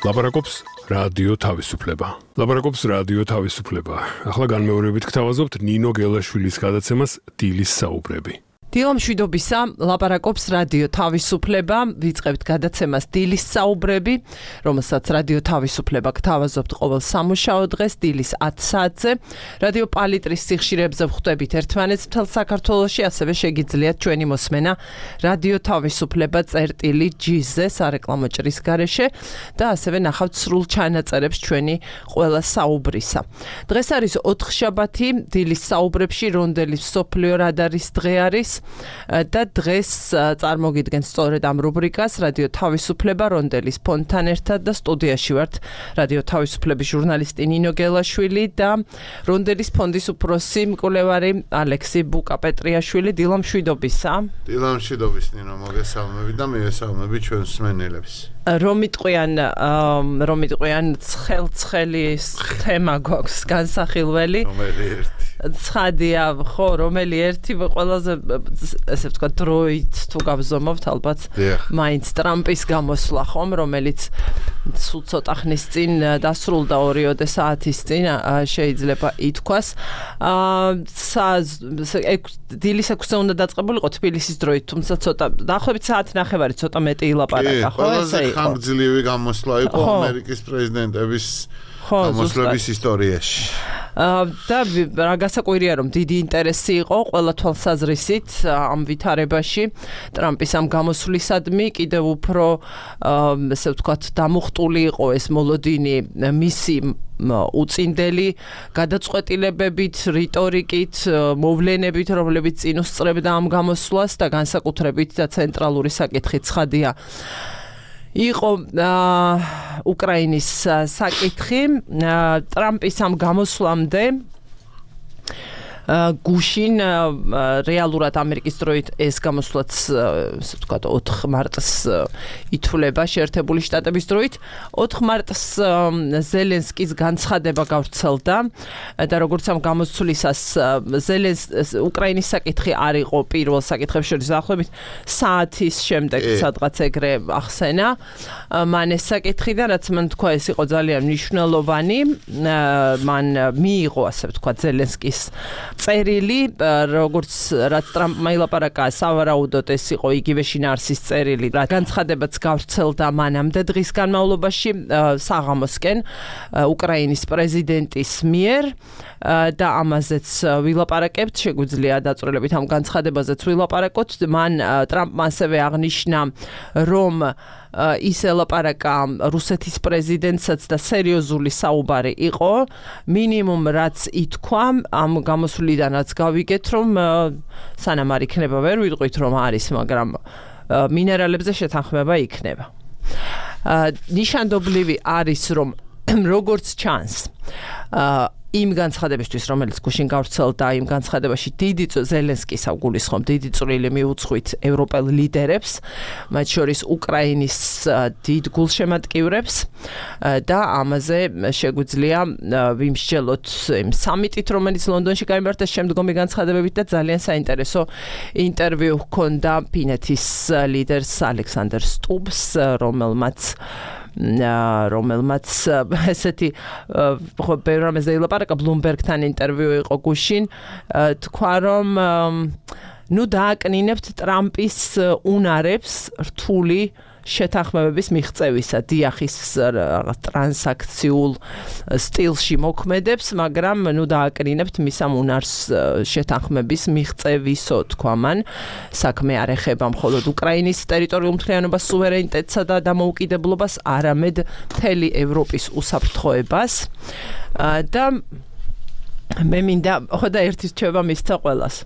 ლაპარაკობს რადიო თავისუფლება. ლაპარაკობს რადიო თავისუფლება. ახლა განმეორებით გთავაზობთ ნინო გელაშვილის გადაცემას დილის საუბრები. დილა მშვიდობისა, ლაპარაკობს რადიო თავისუფლება, ვიწყებთ გადაცემას დილის საუბრები, რომელსაც რადიო თავისუფლება გთავაზობთ ყოველ სამუშაო დღეს დილის 10 საათზე. რადიო პალიტრის სიხშირეებზე ვხვდებით ერთმანეთს მთელ საქართველოში, ასევე შეგიძლიათ ჩვენი მოსმენა რადიო თავისუფლება წერტილი.gz სარეკლამო ჭრის გარეშე და ასევე ნახავთ სრულ ჩანაწერებს ჩვენი ყველა საუბრისა. დღეს არის 4 შაბათი, დილის საუბრებში რონდელის მსოფლიო რადარის დღე არის. და დღეს წარმოგიდგენთ სწორედ ამ რუბრიკას რადიო თავისუფლება რონდელის ფონდთან ერთად და სტუდიაში ვართ რადიო თავისუფლების ჟურნალისტი ნინო გელაშვილი და რონდელის ფონდის უფროსი მკვლევარი ალექსი ბუკა-პეტრიაშვილი. დილა მშვიდობისა. დილა მშვიდობის ნინო, მოგესალმები და მივესალმები ჩვენს მსმენელებს. რომ იტყვიან ცხელი თემა გვაქვს განსახილველი. ცხადია, ხო, რომელი ერთი ყველაზე ესე ვთქვათ დროით თუ გავზომავთ ალბათ მაინც ტრამპის გამოსვლა ხომ, რომელიც სულ ცოტა ხნის წინ დასრულდა 2 საათის წინ შეიძლება ითქვას. დილის 6-ზე უნდა დაწყებულიყო თბილისის დროით, თუმცა ცოტა დაახლოებით საათი ნახევარი ცოტა მეტი ilაპარაკა, ხო, ესე იყო. ხანგრძლივი გამოსვლა იყო ამერიკის პრეზიდენტების გამოსვლების ისტორიაში. და რა გასაკვირია რომ დიდი ინტერესი იყო ყველა თვალსაზრისით ამ ვითარებაში ტრამპის ამ გამოსვლისადმი კიდევ უფრო ესე ვთქვათ დამუხტული იყო ეს მოლოდინი მისი უწინდელი გადაწყვეტილებებით, რიტორიკით, მოვლენებით, რომლებიც წინ უსწრებდა ამ გამოსვლას და განსაკუთრებით და ცენტრალური საკითხი ცხადია იყო უკრაინის საკითხი. ტრამპის ამ გამოსვლამდე გუშინ რეალურად ამერიკის დროით ეს გამოსვლაც ასე ვთქვათ 4 მარტს ითვლება შეერთებული შტატების დროით. 4 მარტს ზელენსკის განცხადება გავრცელდა და როგორც ამ გამოსვლისას უკრაინის საკითხი არ იყო პირველ საკითხებს შორის დაახლოებით საათის შემდეგ სადღაც ეგრე ახსენა მან ეს საკითხი და რაც მან თქვა ეს იყო ძალიან მნიშვნელოვანი. მან მიიღო ასე ვთქვათ ზელენსკის წერილი, როგორც რაც ტრამპმა ილაპარაკა, სავარაუდოდ ეს იყო იგივე შინაარსის წერილი, რა განცხადებაც გავრცელდა მანამდე დღის განმავლობაში საღამოსკენ უკრაინის პრეზიდენტის მიერ და ამაზეც ვილაპარაკებთ, შეგვიძლია დაწვრილებით ამ განცხადებაზეც ვილაპარაკოთ. მან ტრამპმა ასევე აღნიშნა, რომ ის ელაპარაკა რუსეთის პრეზიდენტსაც და სერიოზული საუბარი იყო. მინიმუმ რაც ითქვა ამ გამოსვლიდანაც გავიგეთ, რომ სანამ არ იქნება ვერ ვიტყვით რომ არის, მაგრამ მინერალებზე შეთანხმება იქნება. ნიშანდობლივი არის რომ როგორც ჩანს იმ განცხადებისთვის, რომელიც გუშინ გავრცელდა, იმ განცხადებაში ზელენსკის გულისხმობ დიდი წვლილი მიუძღვით ევროპელ ლიდერებს, მათ შორის უკრაინის დიდ გულშემატკივრებს და ამაზე შეგვიძლია ვიმსჯელოთ იმ სამიტით, რომელიც ლონდონში გაიმართა შემდგომი განცხადებებით და ძალიან საინტერესო ინტერვიუ ჰქონდა ფინეთის ლიდერს ალექსანდრ სტუბს, რომელმაც ესეთი ბევრ რამეზე ილაპარაკა, ბლუმბერგთან ინტერვიუ იყო გუშინ, თქვა რომ ნუ დააკნინებთ ტრამპის უნარებს რთული შეთანხმებების მიღწევისა, დიახის ტრანსაქციულ სტილში მოქმედებს, მაგრამ ნუ დააკნინებთ მის ამ უნარს შეთანხმების მიღწევისო, თქვა მან. საქმე არ ეხება მხოლოდ უკრაინის ტერიტორიულ მთლიანობას, სუვერენიტეტსა და დამოუკიდებლობას, არამედ მთელი ევროპის უსაფრთხოებას. და მე მინდა ხოდა ერთი რჩევა მისცა ყველას.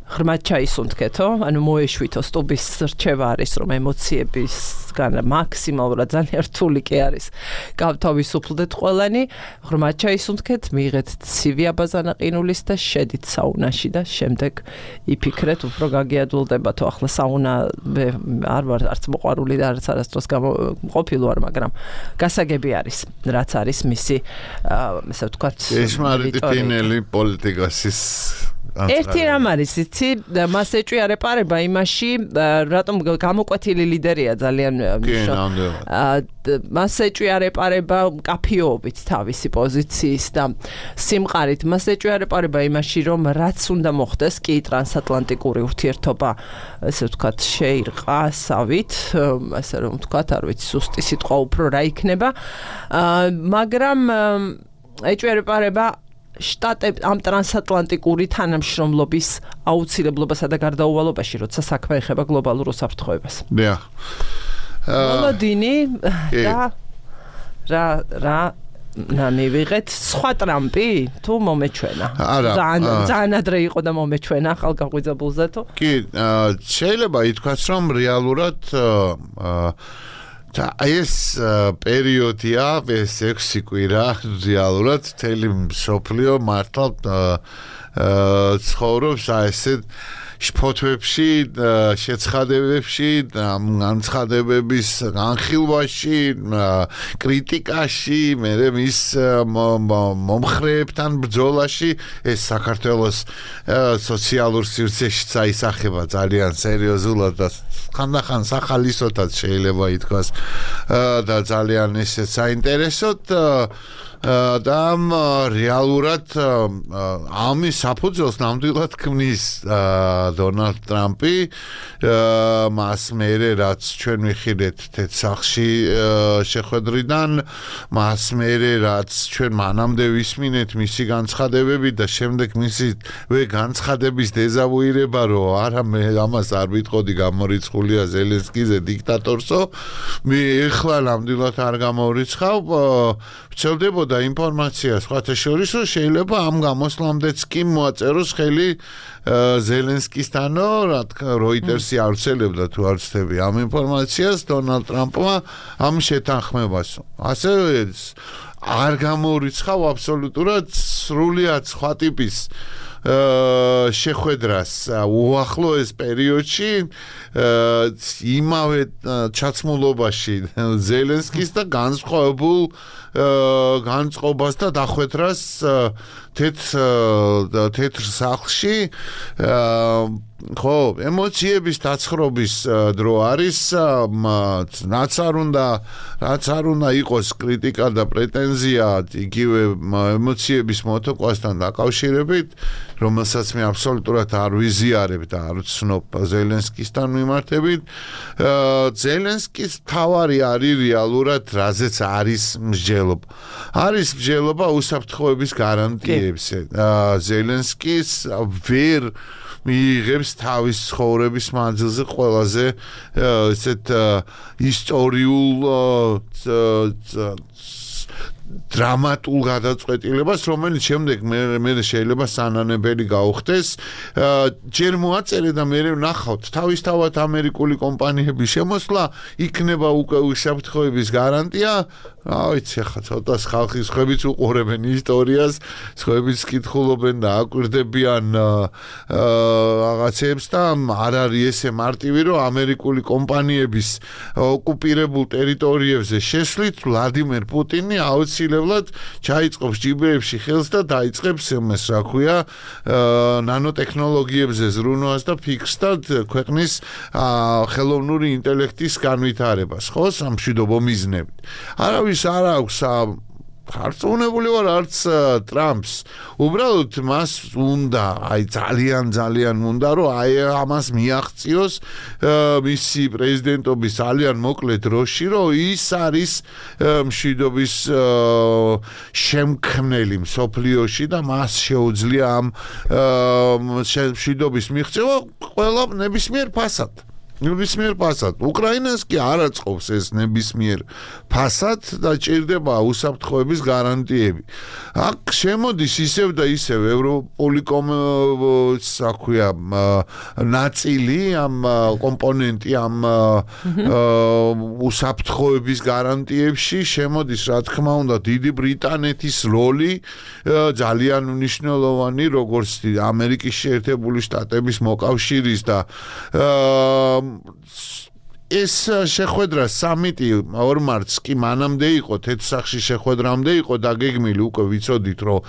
ღრმად ჩაისუნთქეთო, ანუ მოეშვითო სტუბის რჩევა არის, რომ ემოციებისგან მაქსიმალურად ძალიან რთული კი არის. გავთავისუფლდეთ ყველანი, ღრმად ჩაისუნთქეთ, მიიღეთ ცივი აბაზანაყინულის და შედით საუნაში და შემდეგ იფიქრეთ, უფრო გაგიადვილდებათო. ახლა საუნა არ ვარ არც მოყვარული და არც არასდროს ყოფილი ვარ, მაგრამ გასაგები არის, რაც არის მისი, ესე ვთქვათ, ესმარიტი ფინელი პოლიტიკასის ერთი რამ არის, იცი, მას ეჭვიარეპარება იმაში, რატომ გამოკვეთილი ლიდერია ძალიან მას ეჭვიარეპარება მკაფიობით თავისი პოზიციის და სიმყარით, მას ეჭვიარეპარება იმაში, რომ რაც უნდა მოხდეს, კი ტრანსატლანტიკური ურთიერთობა, ესე ვთქვათ, შეირყასავით, ასე რომ ვთქვათ, არ ვიცი, სუსტი სიტყვა უფრო რა იქნება, მაგრამ ეჭვიარეპარება ამ ტრანსატლანტიკური თანამშრომლობის აუცილებლობასა და გარდაუვალობაში, როცა საქმე ეხება გლობალურ უსაფრთხოებას. დიახ. მოლოდინი და რა მივიღეთ სხვა ტრამპი თუ მომეჩვენა. ძალიან ადრე იყო და მომეჩვენა ახალგაღვიძებულზე თუ? კი, შეიძლება ითქვას, რომ რეალურად და ეს პერიოდია, ეს 6 კვირა რეალურად მთელი მსოფლიო მართლა ცხოვრობს ესეთ შფოთვებში, შეცხადებებში, განცხადებების განხილვაში, კრიტიკაში, მე მის მომხრეებთან ბრძოლაში, ეს საქართველოს სოციალურ სივრცეში წაისახება ძალიან სერიოზულად და ხანდახან სახალისოთაც შეიძლება ითქვას და ძალიან ისე საინტერესოდ და რეალურად ამის საფუძველს ნამდვილად ქმნის დონალდ ტრამპი მას მერე რაც ჩვენ ვიხილეთ თეთრსახში შეხვედრიდან მას მერე რაც ჩვენ მანამდე ვისმინეთ მისი განცხადებები და შემდეგ მისი განცხადების დეზავუირება რომ არა მე ამას არ ვიტყოდი გამორიცხულია ზელენსკიზე დიქტატორსო მე ეხლა ნამდვილად არ გამორიცხავ ვცელდებოდა ინფორმაცია სხვათა შორის რომ შეიძლება ამ გამოსვლამდეც კი მოაწეროს ხელი ზელენსკისთანო რა თქმა როიტერსი ავრცელებდა თუ არ ვცდები ამ ინფორმაციას დონალდ ტრამპმა ამ შეთანხმებას ასევე არ გამორიცხავ აბსოლუტურად სრულიად სხვა ტიპის შეხვედრას უახლოეს პერიოდში იმავე ჩაცმულობაში ზელენსკის და განსხვავებულ განწყობას და დახვედრას თეთრ სახლში ხო ემოციების დაცხრობის დრო არის რაც არ უნდა იყოს კრიტიკა და პრეტენზია იგივე ემოციების მოტოყვასთან დაკავშირებით რომელსაც მე აბსოლუტურად არ ვიზიარებ და არ ვცნობ ზელენსკისთან მიმართებით ზელენსკის თავარი არის რეალურად რაზეც არის მსჯელობა უსაფრთხოების გარანტიებზე ზელენსკის ვერ მიიღებს თავის ცხოვრების მანძილზე ყველაზე ესეთ ისტორიულ დრამატულ გადაწყვეტილებას, რომელიც შემდეგ მე შეიძლება სანანებელი გაუხდეს. ჯერ მოაწერე და მე ვნახავთ თავისთავად ამერიკული კომპანიების შემოსვლა იქნება უკვე უსაფრთხოების გარანტია. რა ვიცი, ხა ცოტა ხალხის ხებიც უყურებენ ისტორიას, ხებიც კითხულობენ და აკვირდებიან რაღაცებს და არ არის ესე მარტივი, რომ ამერიკული კომპანიების ოკუპირებულ ტერიტორიებზე შესვლით ვლადიმერ პუტინი აუცილებლად ჩაიწყობს ჯიბეებში ხელს და დაიწყებს იმას, რა ქვია, ნანოტექნოლოგიებზე ზრუნვას და ფიქსს და ქვეყნის ხელოვნური ინტელექტის განვითარებას, ხო, სამშვიდობო მიზნებით. არავის არ აქვს არწმუნებული ვარ არც ტრამპს უბრალოდ მას უნდა ძალიან უნდა რომ ამას მიაღწიოს მისი პრეზიდენტობის ძალიან მოკლე დროში რომ ის არის მშვიდობის შემქმნელი მსოფლიოში და მას შეუძლია ამ მშვიდობის მიღწევა ყველა ნებისმიერ ფასად უკრაინას კი არ აწყობს ეს ნებისმიერ ფასად და ჭირდება უსაფრთხოების გარანტიები. აქ შემოდის ისევ და ისევ ევროპული ნაწილი ამ კომპონენტი ამ უსაფრთხოების გარანტიებში შემოდის რა თქმა უნდა დიდი ბრიტანეთის როლი ძალიან მნიშვნელოვანი როგორც ამერიკის შეერთებული შტატების მოკავშირის და ეს შეხვედრა სამიტი 2 მარტს კი მანამდე იყო, თეთრსახში შეხვედრამდე იყო დაგეგმილი, უკვე ვიცოდით, რომ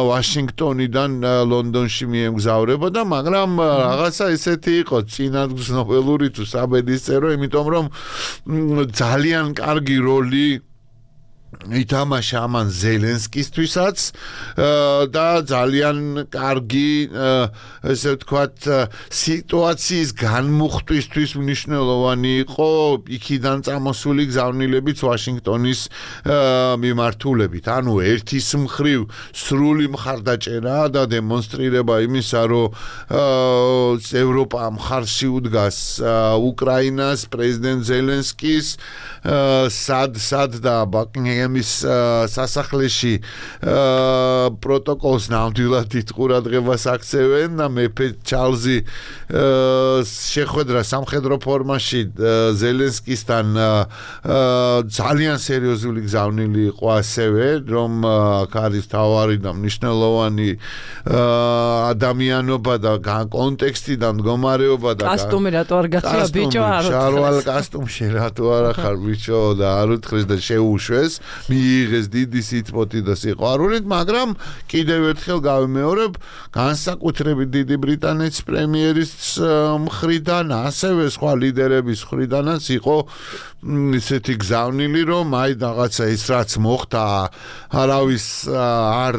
ვაშინგტონიდან ლონდონში მიემგზავრებოდა, მაგრამ რაღაცა ესეთი იყო, წინადღწნობელური თუ საბედისწერო, იმიტომ რომ ძალიან კარგი როლი ითამაშა ამან ზელენსკისთვისაც და ძალიან კარგი ესე ვთქვათ სიტუაციის განმუხტვისთვის მნიშვნელოვანი იყო იქიდან წამოსული გზავნილებიც ვაშინგტონის მიმართულებით. ანუ ერთის მხრივ სრული მხარდაჭერა და დემონსტრირება იმისა, რომ ევროპა მხარში უდგას უკრაინას, პრეზიდენტ ზელენსკის სად და ბაკინგემის სასახლეში პროტოკოლს ნამდვილად ყურადღებას აქცევენ და მეფე ჩარლზი შეხვედრა სამხედრო ფორმაში ზელენსკისთან ძალიან სერიოზული გზავნილი იყო ასევე, რომ არის თავარი და მნიშვნელოვანი ადამიანობა და კონტექსტი და მდგომარეობა და კასტუმი რატო არ გახია ბიჭო არ უთხრეს შარვალ კასტუმში რატო არ ახარ ბიჭო და არ უთხრეს და შეუშვეს მიიღეს დიდი სიტყვოთი და სიყვარულით, მაგრამ კიდევ ერთხელ გავიმეორებ, განსაკუთრებით დიდი ბრიტანეთის პრემიერის მხრიდან, ასევე სხვა ლიდერების მხრიდანაც იყო ისეთი გზავნილი, რომ აი რაღაცა ის რაც მოხდა, არავის არ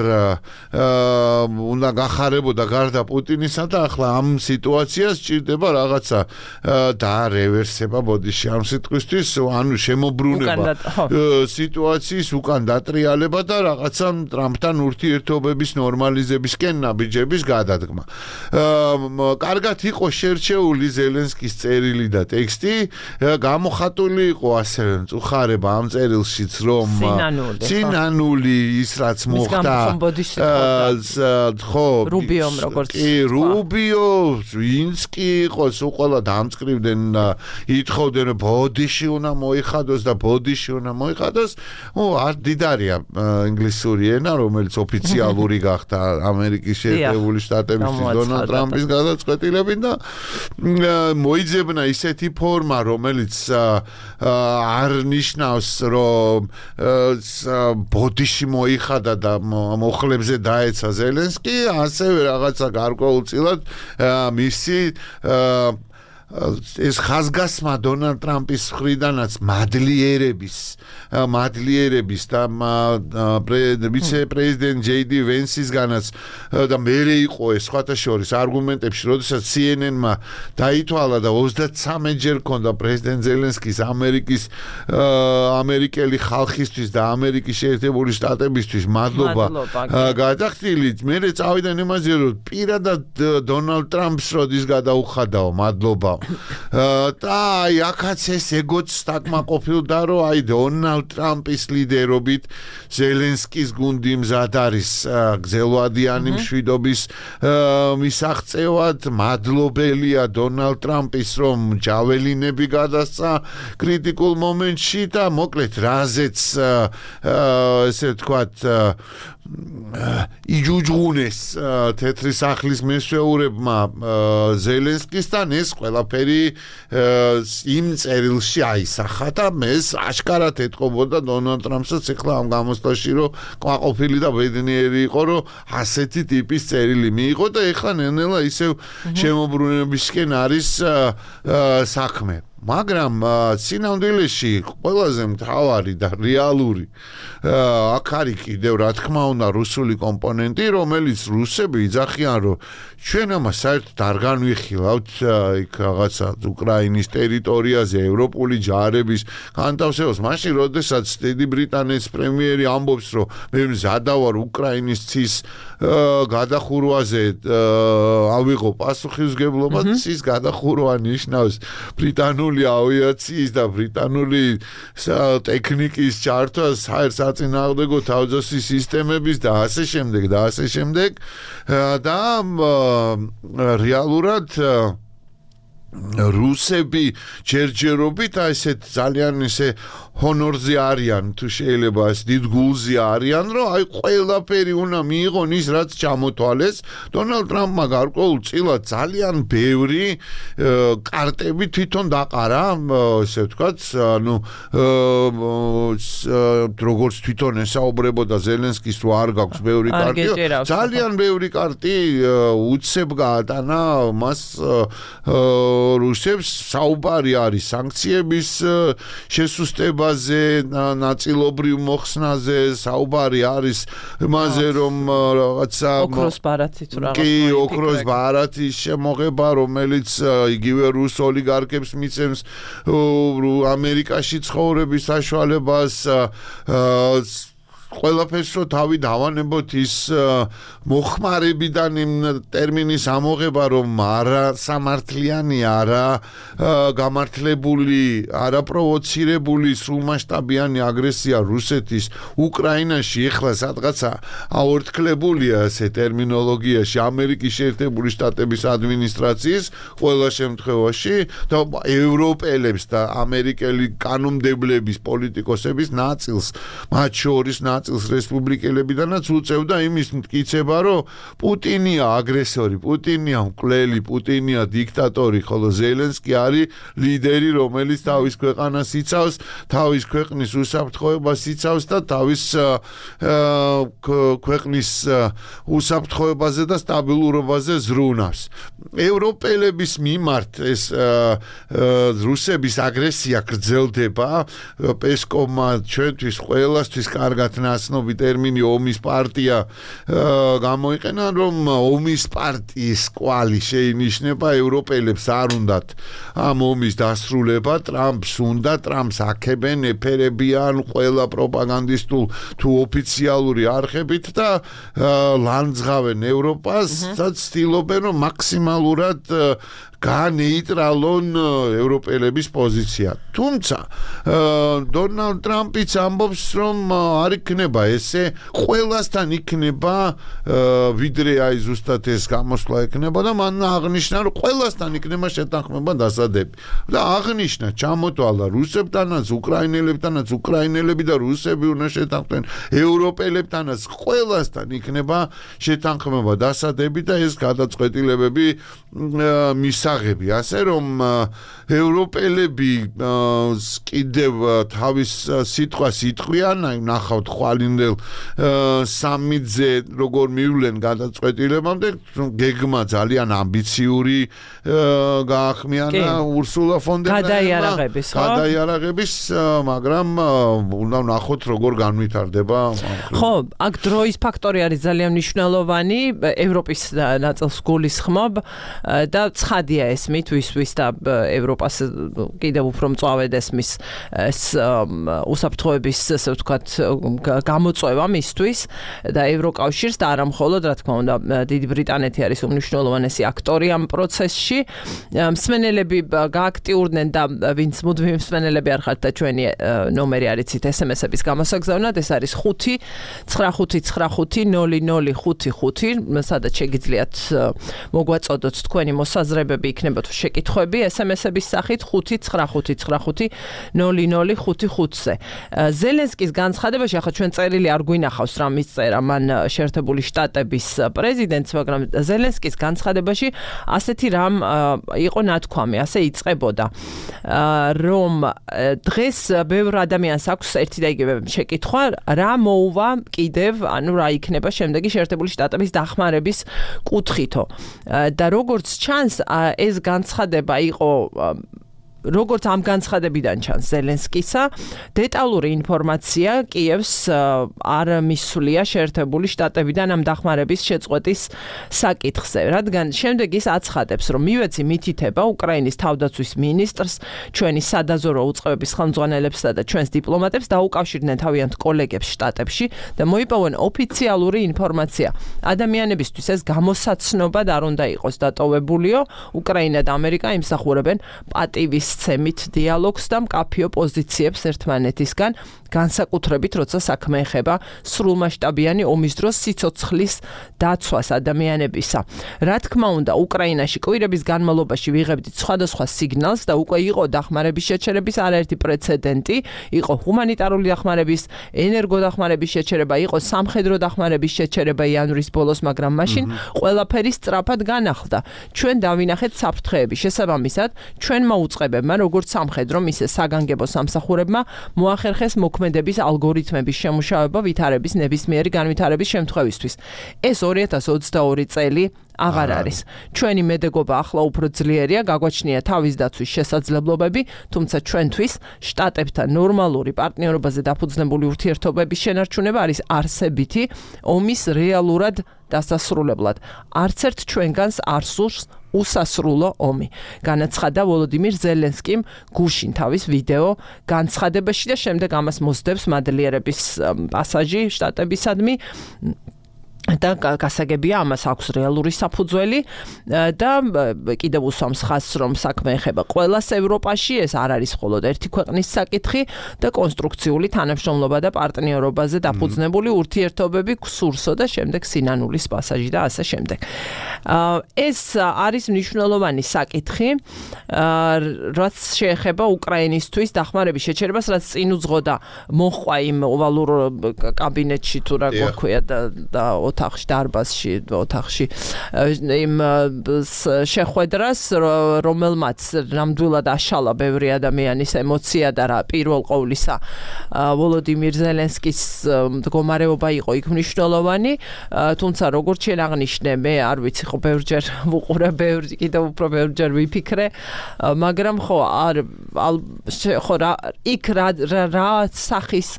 უნდა გახარებოდა გარდა პუტინისა და ახლა ამ სიტუაციას ჭირდება რაღაცა დაარევერსება ბოდიში ამ სიტყვისთვის, ანუ შემოbrunება სიტუაციის უკან დატრიალება და რაღაცა ტრამპთან ურთიერთობების ნორმალიზებისკენ ნაბიჯების გადადგმა. კარგად იყო შერჩეული ზელენსკის წერილი და ტექსტი, გამოხატული იყო ასევე მწუხარება ამ წერილშიც, რომ ცინანული ის რაც მოხდა ხო რუბიომ როგორც რუბიო ვინც კი იყოს უყოლა დამწკრივდნენ და ითხოვდნენ რომ ბოდიში უნდა მოიხადოს და ბოდიში უნდა მოიხადოს. არ დიდარია ინგლისური ენა, რომელიც ოფიციალური გახდა ამერიკის შეერთებული შტატებისთვის დონალდ ტრამპის გადაწყვეტილებით და მოიძებნა ისეთი ფორმა, რომელიც არ ნიშნავს, რომ ბოდიში მოიხადა და მოხლებზე დაეცა ზელენსკი, ასევე რაღაცა გარკვეულწილად მისი ეს ხაზგასმა დონალდ ტრამპის მხრიდანაც მადლიერების და ვიცე-პრეზიდენტ ჯეი-დი ვენსისგანაც და მერე იყო ეს სხვათა შორის არგუმენტებში, როდესაც CNN-მა დაითვალა და 33 ჯერ ქონდა პრეზიდენტ ზელენსკის ამერიკელი ხალხისთვის და ამერიკის შეერთებული შტატებისთვის მადლობა გადახდილი, მერე წავიდა იმაზე, რომ პირადად დონალდ ტრამპს როდის გადაუხადაო მადლობა და აი აქაც ეს ეგოც დაკმაყოფილდა, რომ აი დონალდ ტრამპის ლიდერობით ზელენსკის გუნდი მზად არის გზელვადიანი მშვიდობის მისაღწევად, მადლობელია დონალდ ტრამპის, რომ ჯაველინები გადასცა კრიტიკულ მომენტში და მოკლედ რაზეც ესე ვთქვათ იჯუჯღუნეს თეთრი სახლის მესვეურებმა ზელენსკისთან, ეს ყველაფერი იმ წერილში აისახა და ეს აშკარად ეთყობოდა დონალდ ტრამპსაც ახლა ამ გამოსვლაში, რომ ყვაყოფილი და ბედნიერი იყო, რომ ასეთი ტიპის წერილი მიიღო და ახლა ნელ-ნელა ისევ შემოbrunებისკენ არის საქმე. მაგრამ სინამდვილეში ყველაზე მთავარი და რეალური აქ არის კიდევ რა თქმა უნდა რუსული კომპონენტი, რომელიც რუსები იძახიან, რომ ჩვენ ამას საერთოდ არ განვიხილავთ იქ რაღაცა უკრაინის ტერიტორიაზე ევროპული ჯარების განთავსებას. მაშინ როდესაც დიდი ბრიტანეთის პრემიერი ამბობს, რომ მე მზადა ვარ უკრაინის ცის გადახურვაზე ავიღო პასუხისმგებლობა, ცის გადახურვა ნიშნავს ბრიტანული ავიაციის და ბრიტანული ტექნიკის ჩართვას, საწინააღმდეგო თავდაცვის სისტემების და ასე შემდეგ და ასე შემდეგ და რეალურად რუსები ჯერჯერობით ესეთ ძალიან ისე ჰონორზე არიან თუ შეიძლება ეს დიდ გულზე არიან რომ აი ყველაფერი უნდა მიიღონ ის რაც ჩამოთვალეს დონალდ ტრამპმა გარკვეულწილად ძალიან ბევრი კარტები თვითონ დაყარა ესე ვთქვათ ანუ როგორც თვითონ ესაუბრებოდა ზელენსკის რომ არ გაქვს ბევრი კარტი ძალიან ბევრი კარტი უცებ გაატანა მას რუსებს საუბარი არის სანქციების შესუსტებაზე, ნაწილობრივ მოხსნაზე, საუბარი არის იმაზე, რომ რაღაცა ოქროს ბარათი თუ რაღაც კი, ოქროს ბარათის შემოღება, რომელიც იგივე რუს ოლიგარქებს მიცემს ამერიკაში ცხოვრების საშუალებას ყველაფერს რო თავი დავანებოთ ის მოხმარებიდან იმ ტერმინის ამოღება რომ არა სამართლიანი არა გამართლებული არა პროვოცირებული სრულმასშტაბიანი აგრესია რუსეთის უკრაინაში ეხლა სადღაცა აორთქლებულია ესე ტერმინოლოგიაში ამერიკის შეერთებული შტატების ადმინისტრაციის ყველა შემთხვევაში და ევროპელებს და ამერიკელი კანონმდებლების პოლიტიკოსების ნაწილს მათ შორის წელს რესპუბლიკელებიდანაც უწევდა იმის მტკიცება, რომ პუტინია აგრესორი, პუტინია მკვლელი, პუტინია დიქტატორი, ხოლო ზელენსკი არის ლიდერი, რომელიც თავის ქვეყანას იცავს, თავის ქვეყნის უსაფრთხოებას იცავს და თავის ქვეყნის უსაფრთხოებაზე და სტაბილურობაზე ზრუნავს. ევროპელების მიმართ ეს რუსების აგრესია გრძელდება, პესკოვმა ჩვენთვის ყველასთვის კარგად ნაცნობი ტერმინი ომის პარტია გამოიყენა რომ ომის პარტიის კვალი შეინიშნება ევროპელებს არ უნდათ ამ ომის დასრულება ტრამპს უნდა ტრამპს აქებენ ეფერებიან ყველა პროპაგანდისტულ თუ ოფიციალური არხებით და ლანძღავენ ევროპას და ცდილობენ რომ მაქსიმალურად განეიტრალონ ევროპელების პოზიცია. თუმცა დონალდ ტრამპიც ამბობს რომ არ იქნება ესე ყველასთან იქნება ვიდრე აი ზუსტად ეს გამოსვლა იქნება და მან აღნიშნა რომ ყველასთან იქნება შეთანხმება დასადები. და აღნიშნა ჩამოთვალა რუსებთანაც უკრაინელებთანაც უკრაინელები და რუსები უნდა შეთანხმდნენ ევროპელებთანაც ყველასთან იქნება შეთანხმება დასადები და ეს გადაწყვეტილებები მისაღები ასე რომ ევროპელები კიდევ თავის სიტყვას იტყვიან აი ნახავთ ხვალინდელ სამიტზე როგორ მივლენ გადაწყვეტილებამდე გეგმა ძალიან ამბიციური გაახმიანა ურსულა ფონ დერ ლაიენმა გადაიარაღების მაგრამ უნდა ვნახოთ როგორ განვითარდება ხო აქ დროის ფაქტორი არის ძალიან მნიშვნელოვანი ევროპის ნაწილს გულისხმობ და ცხადია ესმით ვის და ევროპას კიდევ უფრო მწვავედ ესმის ეს უსაფრთხოების ასე ვთქვათ გამოწვევა მისთვის და ევროკავშირს და არა მხოლოდ რა თქმა უნდა დიდი ბრიტანეთი არის უმნიშვნელოვანესი აქტორი ამ პროცესში მსმენელები გააქტიურდნენ და ვინც მუდმივი მსმენელები არ ხართ და ჩვენი ნომერი არიცით SMS-ების გამოსაგზავნად ეს არის 5-955-0055 სადაც შეგიძლიათ მოგვაწოდოთ თქვენი მოსაზრებები იქნება თუ შეკითხვები SMS-ების სახით 5-955-0055-ზე. ზელენსკის განცხადებაში ახლა ჩვენ წერილი არ გვინახავს რა მისწერა მან შეერთებული შტატების პრეზიდენტს, მაგრამ ზელენსკის განცხადებაში ასეთი რამ იყო ნათქვამი, ასე იწყებოდა, რომ დღეს ბევრ ადამიანს აქვს ერთი და იგივე შეკითხვა, რა მოუვა კიდევ, ანუ რა იქნება შემდეგი შეერთებული შტატების დახმარების კუთხითო. და როგორც ჩანს ეს განცხადება იყო როგორც ამ განცხადებიდან ჩანს ზელენსკისა, დეტალური ინფორმაცია კიევს არ მისულია შეერთებული შტატებიდან ამ დახმარების შეწყვეტის საკითხზე, რადგან შემდეგ ის აცხადებს, რომ მივეცი მითითება უკრაინის თავდაცვის მინისტრს, ჩვენი სადაზორო უწყებების ხელმძღვანელებსა და ჩვენს დიპლომატებს დაუკავშირდნენ თავიანთ კოლეგებს შტატებში და მოიპოვონ ოფიციალური ინფორმაცია. ადამიანებისთვის ეს გამოსაცნობად არ უნდა იყოს დატოვებულიო, უკრაინა და ამერიკა იმსახურებენ პატივის მისცემით დიალოგს და მკაფიო პოზიციებს ერთმანეთისგან, განსაკუთრებით როცა საქმე ეხება სრულმასშტაბიანი ომის დროს სიცოცხლის დაცვას ადამიანებისა. Რა თქმა უნდა, უკრაინაში კვირების განმავლობაში ვიღებდით სხვადასხვა სიგნალს და უკვე იყო დახმარების შეჩერების არაერთი პრეცედენტი, იყო ჰუმანიტარული დახმარების, ენერგოდახმარების შეჩერება, იყო სამხედრო დახმარების შეჩერება იანვრის ბოლოს, მაგრამ მაშინ ყველაფერი სწრაფად განახლდა. ჩვენ დავინახეთ საფრთხეები. შესაბამისად, ჩვენმა უწყებებმა, როგორც სამხედრომ, ისე საგანგებო სამსახურებმა მოახერხეს მოქმედების ალგორითმების შემუშავება ვითარების ნებისმიერი განვითარების შემთხვევისთვის. ეს 2022 წელი აღარ არის. ჩვენი მედეგობა ახლა უფრო ძლიერია, გაგვაჩნია თავის დაცვის შესაძლებლობები, თუმცა ჩვენთვის შტატებთან ნორმალური პარტნიორობაზე დაფუძნებული ურთიერთობების შენარჩუნება არის არსებითი ომის რეალურად დასასრულებლად. არც ერთ ჩვენგანს არ სურს უსასრულო ომი. განაცხადა ვოლოდიმირ ზელენსკიმ გუშინ თავის ვიდეო განცხადებაში და შემდეგ ამას მოსდევს მადლიერების პასაჟი შტატებისადმი. და გასაგებია ამას აქვს რეალური საფუძველი და კიდევ უსვამს ხაზს რომ საქმე ეხება ყველას ევროპაში, ეს არ არის მხოლოდ ერთი ქვეყნის საკითხი და კონსტრუქციული თანამშრომლობა და პარტნიორობაზე დაფუძნებული ურთიერთობები გსურსო და შემდეგ სინანულის პასაჟი და ასე შემდეგ. ეს არის მნიშვნელოვანი საკითხი, რაც შეეხება უკრაინისთვის დახმარების შეჩერებას, რაც წინ უძღოდა მოხვა იმ ოვალურ კაბინეტში თუ რა გვქვია და ოთახში დარბაზში ოთახში იმ შეხვედრას, რომელმაც ნამდვილად აშალა ბევრი ადამიანის ემოცია და რა პირველ ყოვლისა ვოლოდიმირ ზელენსკის მდგომარეობა იყო იქ მნიშვნელოვანი, თუმცა როგორც შენ აღნიშნე, მე არ ვიცი ხო ბევრჯერ ვუყურე, კიდევ უფრო ბევრჯერ ვიფიქრე, მაგრამ ხო იქ რა სახის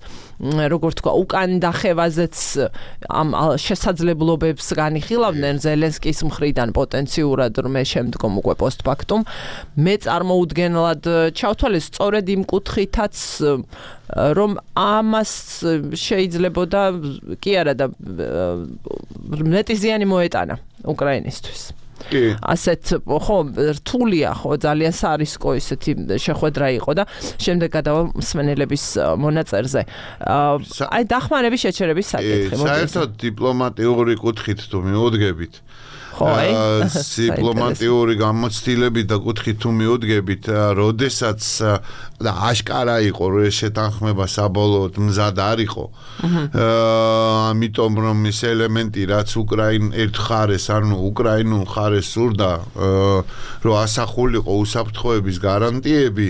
როგორც თქვა, უკან დახევაზეც ამ შესაძლებლობებს განიხილავდნენ ზელენსკის მხრიდან პოტენციურად მე შემდგომ უკვე პოსტფაქტუმ. მე წარმოუდგენლად ჩავთვალეს სწორედ იმ კუთხითაც, რომ ამას შეიძლებოდა კი არა და მეტი ზიანი მოეტანა უკრაინისთვის. ასეთ ხო რთულია ხო ძალიან სარისკო ისეთი შეხვედრა იყო და შემდეგ გადავალ მსმენელების მონაწერზე. აი დახმარების შეჩერების საკითხი. საერთოდ დიპლომატიური კუთხით თუ მიუდგებით, დიპლომატიური გამოცდილებით და კუთხით თუ მიუდგებით, როდესაც და აშკარა იყო რომ ეს შეთანხმება საბოლოოდ მზად არ იყო. ამიტომ რომ ის ელემენტი რაც ერთ ხარეს, ანუ უკრაინულ ხარეს სურდა რომ ასახულიყო უსაფრთხოების გარანტიები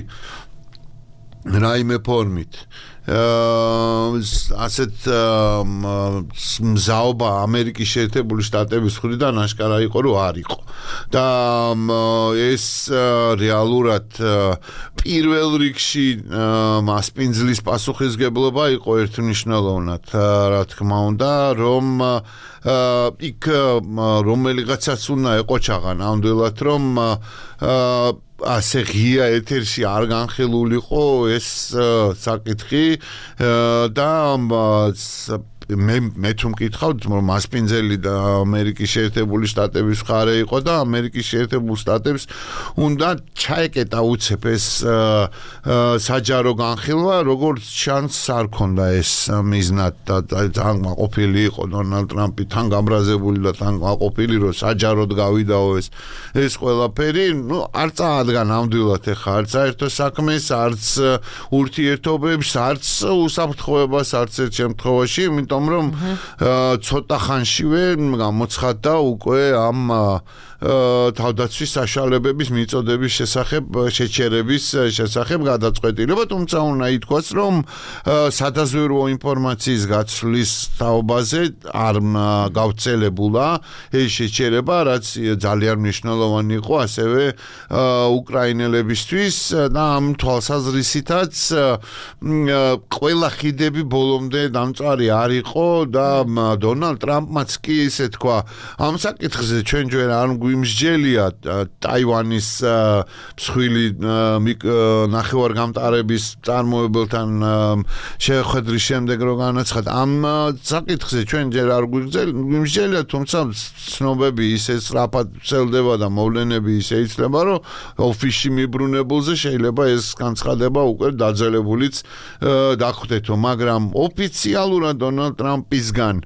რაიმე ფორმით. ასეთ მზაობა ამერიკის შეერთებული შტატების მხრიდან აშკარა იყო რომ არ იყო და ეს რეალურად პირველ რიგში მასპინძლის პასუხისგებლობა იყო ერთმნიშვნელოვნად, რა თქმა უნდა, რომ იქ რომელიღაცაც უნდა ეყოჩაღა ნამდვილად რომ ასე ღია ეთერში არ განხილულიყო ეს საკითხი და მე თუ მკითხავთ, რომ მასპინძელი და ამერიკის შეერთებული შტატების მხარე იყო და ამერიკის შეერთებულ შტატებს უნდა ჩაეკეტა უცებ ეს საჯარო განხილვა, როგორც შანსს არ ქონდა ეს მიზნად და თან გაყოფილი იყო დონალდ ტრამპი, თან გაბრაზებული და თან გაყოფილი, რომ საჯაროდ გავიდაო ეს ყველაფერი, არ წაადგა ნამდვილად ეხა არც საერთო საქმეს, არც ურთიერთობებს, არც უსაფრთხოებას, არც ერთ შემთხვევაში, იმიტომ რომ ცოტა ხანშივე გამოცხადდა უკვე ამ თავდაცვის საშუალებების მიწოდების შეჩერების შესახებ გადაწყვეტილება, თუმცა უნდა ითქვას, რომ სადაზვერვო ინფორმაციის გაცვლის თაობაზე არ გავრცელებულა ეს შეჩერება, რაც ძალიან მნიშვნელოვანი იყო ასევე უკრაინელებისთვის და ამ თვალსაზრისითაც ყველა ხიდები ბოლომდე დამწვარი არ იყო და დონალდ ტრამპმაც კი ისე თქვა, ამ საკითხზე ჩვენ ჯერ არ გვიმსჯელია ტაივანის მსხვილი ნახევარგამტარების წარმოებელთან შეხვედრის შემდეგ რო განაცხადა ამ საკითხზე ჩვენ ჯერ არ გვიმსჯელია, თუმცა ცნობები ისე სწრაფად ვრცელდება და მოვლენები ისე იცლება, რომ ოფისში მიბრუნებულზე შეიძლება ეს განცხადება უკვე დაძელებულიც დახვდეთო, მაგრამ ოფიციალურად დონალდ ტრამპისგან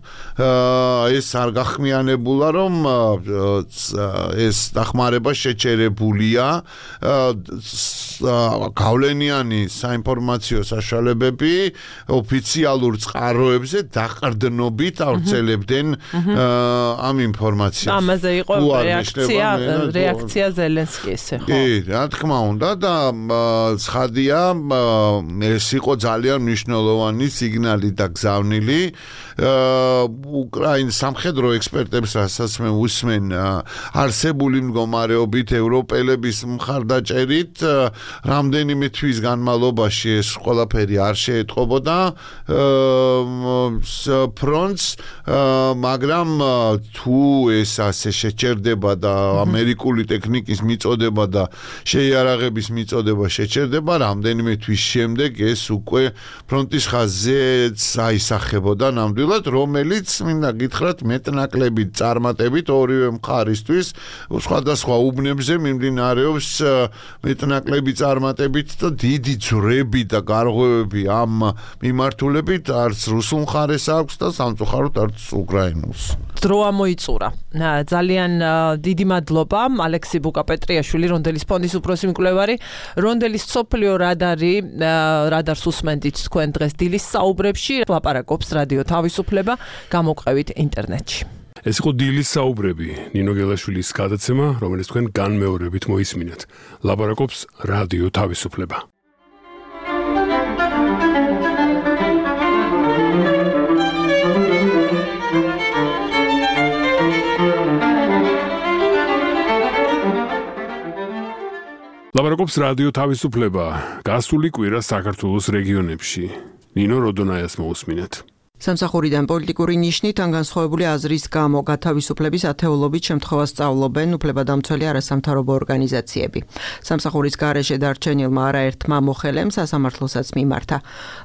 ეს არ გახმიანებულა, რომ ეს დახმარება შეჩერებულია. გავლენიანი საინფორმაციო საშუალებები ოფიციალურ წყაროებზე დაყრდნობით ავრცელებდნენ ამ ინფორმაციას. ამაზე იყო რეაქცია ზელენსკის, ხო? კი, რა თქმა უნდა და ცხადია, ეს იყო ძალიან მნიშვნელოვანი სიგნალი და გზავნილი უკრაინის სამხედრო ექსპერტებს, რასაც მე უსმენ არსებული მდგომარეობით ევროპელების მხარდაჭერით რამდენიმე თვის განმავლობაში ეს ყველაფერი არ შეეტყობოდა ფრონტს, მაგრამ თუ ეს ასე შეჩერდება და ამერიკული ტექნიკის მიწოდება და შეიარაღების მიწოდება შეჩერდება, რამდენიმე თვის შემდეგ ეს უკვე ფრონტის ხაზზე აისახებოდა ნამდვილად, რომელიც მინდა გითხრათ მეტნაკლებით წარმატებით ორივე მხარისთვის სხვადასხვა უბნებზე მიმდინარეობს მეტნაკლები წარმატებით და დიდი ძვრები და გარღვევები ამ მიმართულებით არც რუსულ მხარეს აქვს და სამწუხაროდ არც უკრაინულს. დრო ამოიწურა. ძალიან დიდი მადლობა ალექსი ბუკაპეტრიაშვილი, რონდელის ფონდის უფროსი მკვლევარი, რონდელის სოფლიო რადარს უსმენდით თქვენ დღეს დილის საუბრებში, ლაპარაკობს რადიო თავისუფლება, გამოყევით ინტერნეტში. ეს იყო დილის საუბრები, ნინო გელაშვილის გადაცემა, რომელიც თქვენ განმეორებით მოისმინეთ. ლაპარაკობს რადიო თავისუფლება. ლაპარაკობს რადიო თავისუფლება. გასული კვირა საქართველოს რეგიონებში. ნინო როდონაიას მოусმინეთ. სამსახურიდან პოლიტიკური ნიშნით ან განსხვავებული აზრის გამო გათავისუფლების ათეულობით შემთხვევას სწავლობენ უფლებადამცველი არასამთავრობო ორგანიზაციები. სამსახურის გარეშე დარჩენილმა არაერთმა მოხელემ სასამართლოსაც მიმართა.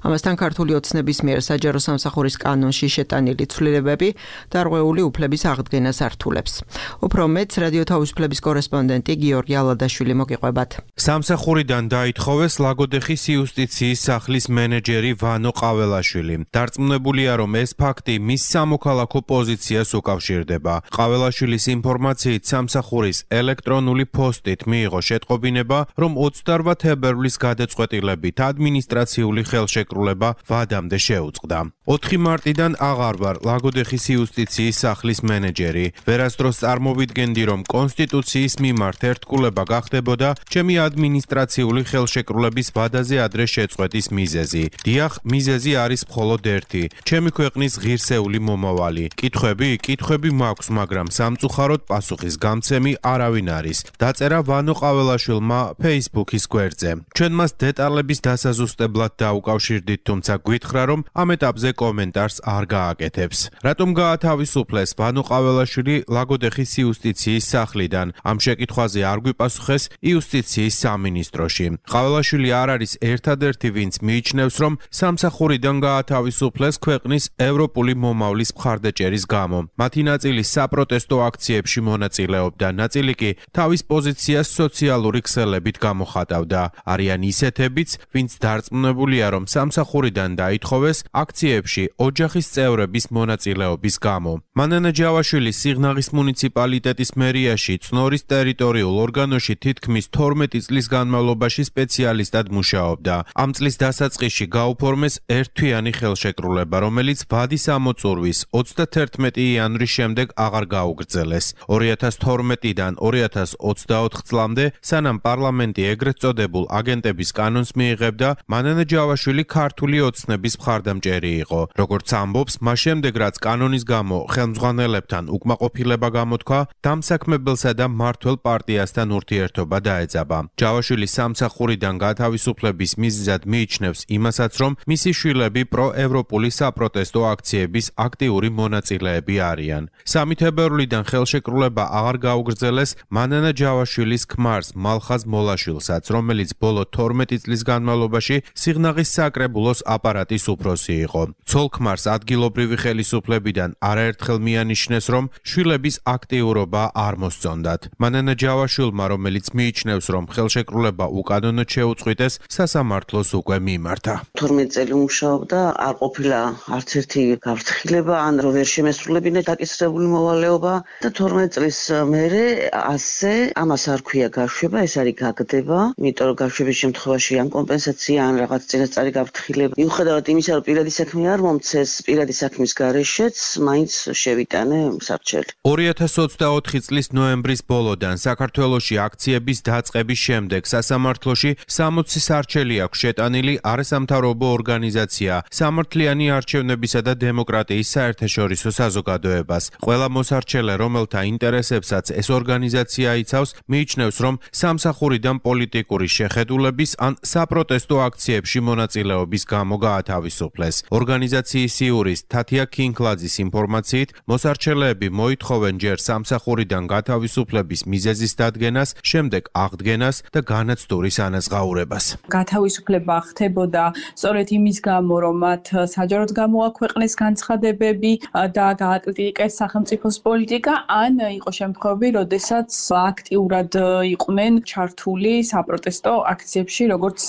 ამასთან ქართული ოცნების მიერ საჯარო სამსახურის კანონში შეტანილი ცვლილებები დარღვეული უფლების აღდგენას ართულებს. უფრო მეტს რადიო თავისუფლების კორესპონდენტი გიორგი ალადაშვილი მოგიყვებათ. სამსახურიდან დაითხოვეს ლაგოდეხის იუსტიციის სახლის მენეჯერი ვანო ყაველაშვილი. დარწმუნებული რომ ეს ფაქტი მის სამოქალაქო პოზიციას უკავშირდება. ყაველაშვილის ინფორმაციით სამსახურის ელექტრონული პოსტით მიიღო შეტყობინება, რომ 28 თებერვლის გადაწყვეტილებით ადმინისტრაციული ხელშეკრულება ვადამდე შეუწყდა. 4 მარტიდან აღარ ვარ ლაგოდეხის იუსტიციის სახლის მენეჯერი. ვერასდროს წარმოვიდგენდი, რომ კონსტიტუციის მიმართ ერთგულება გახდებოდა ჩემი ადმინისტრაციული ხელშეკრულების ვადაზე ადრე შეწყვეტის მიზეზი. დიახ, მიზეზი არის მხოლოდ ერთი. ჩემი ქვეყნის ღირსეული მომავალი. კითხვები მაქვს, მაგრამ სამწუხაროდ პასუხის გამცემი არავინ არის. დაწერა ვანო ყაველაშვილმა Facebook-ის გვერდზე. ჩვენ მას დეტალების დასაზუსტებლად დაუკავშირდით, თუმცა გვითხრა, რომ ამ ეტაპზე კომენტარს არ გააკეთებს. რატომ გაათავისუფლეს ვანო ყაველაშვილი ლაგოდეხის იუსტიციის სახლიდან? ამ შეკითხვაზე არ გვიპასუხეს იუსტიციის სამინისტროში. ყაველაშვილი არ არის ერთადერთი, ვინც მიიჩნევს, რომ სამსახურიდან გაათავისუფლეს ქვეყნის ევროპული მომავლის მხარდაჭერის გამო. მათი ნაწილი საპროტესტო აქციებში მონაწილეობდა, ნაწილი კი თავის პოზიციას სოციალური ქსელებით გამოხატავდა. არიან ისეთებიც, ვინც დარწმუნებულია, რომ სამსახურიდან დაითხოვეს აქციებში ოჯახის წევრების მონაწილეობის გამო. მანანა ჯავაშვილი სიღნაღის მუნიციპალიტეტის მერიაში წნორის ტერიტორიულ ორგანოში თითქმის 12 წლის განმავლობაში სპეციალისტად მუშაობდა. ამ წლის დასაწყისში გაუფორმეს ერთთვიანი ხელშეკრულება, რომელიც ვადის ამოწურვის 31 იანვრის შემდეგ აღარ გაუგრძელეს. 2012-დან 2024 წლამდე, სანამ პარლამენტი ეგრეთ წოდებულ აგენტების კანონს მიიღებდა, მანანა ჯავაშვილი ქართული ოცნების მხარდამჭერი იყო. როგორც ამბობს, მას შემდეგ რაც კანონის გამო ხელმძღვანელებთან უკმაყოფილება გამოთქვა, დამსაქმებელსა და მმართველ პარტიასთან ურთიერთობა დაეძაბა. ჯავაშვილი სამსახურიდან გათავისუფლების მიზეზად მიიჩნევს იმასაც, რომ მისი შვილები პროევროპული საპროტესტო აქციების აქტიური მონაწილეები არიან. 3 თებერვლიდან ხელშეკრულება აღარ გაუგრძელეს მანანა ჯავაშვილის ქმარს მალხაზ მოლაშვილსაც, რომელიც ბოლო 12 წლის განმავლობაში სიღნაღის საკრებულოს აპარატის უფროსი იყო. ცოლ-ქმარს ადგილობრივი ხელისუფლებიდან არაერთხელ მიანიშნეს, რომ შვილების აქტიურობა არ მოსწონდათ. მანანა ჯავაშვილმა, რომელიც მიიჩნევს, რომ ხელშეკრულება უკანონოდ შეუწყვიტეს, სასამართლოს უკვე მიმართა. 12 წელი მუშაობდა, არ ყოფილა არც ერთი გაფრთხილება, ან რომ ვერ შემესრულებინა დაკისრებული მოვალეობა და 12 წლის მერე ასე ამას არ ქვია გაშვება, ეს არის გაგდება, იმიტომ რომ გაშვების შემთხვევაში ან კომპენსაცია, ან რაღაც წინასწარი გაფრთხილება. მიუხედავად იმისა, რომ პირადი საქმე არ მომცეს, პირადი საქმის გარეშეც მაინც შევიტანე სარჩელი. 2024 წლის ნოემბრის ბოლოდან საქართველოში აქციების დაწყების შემდეგ სასამართლოში 60 სარჩელი აქვს შეტანილი არასამთავრობო ორგანიზაცია სამართლიანი არჩევნებისა და დემოკრატიის საერთაშორისო საზოგადოებას. ყველა მოსარჩელე, რომელთა ინტერესებსაც ეს ორგანიზაცია იცავს, მიიჩნევს, რომ სამსახურიდან პოლიტიკური შეხედულების ან საპროტესტო აქციებში მონაწილეობის გამო გაათავისუფლეს. ორგანიზაციის იურისტ თათია ქინკლაძის ინფორმაციით, მოსარჩელეები მოითხოვენ ჯერ სამსახურიდან გათავისუფლების მიზეზის დადგენას, შემდეგ აღდგენას და განაცდურის ანაზღაურებას. გათავისუფლება ხდებოდა სწორედ იმის გამო, რომ მათ საჯაროდ გამოაქვეყნეს განცხადებები და გააკრიტიკეს სახელმწიფოს პოლიტიკა, ან იყო შემთხვევები, როდესაც აქტიურად იყვნენ ჩართული საპროტესტო აქციებში, როგორც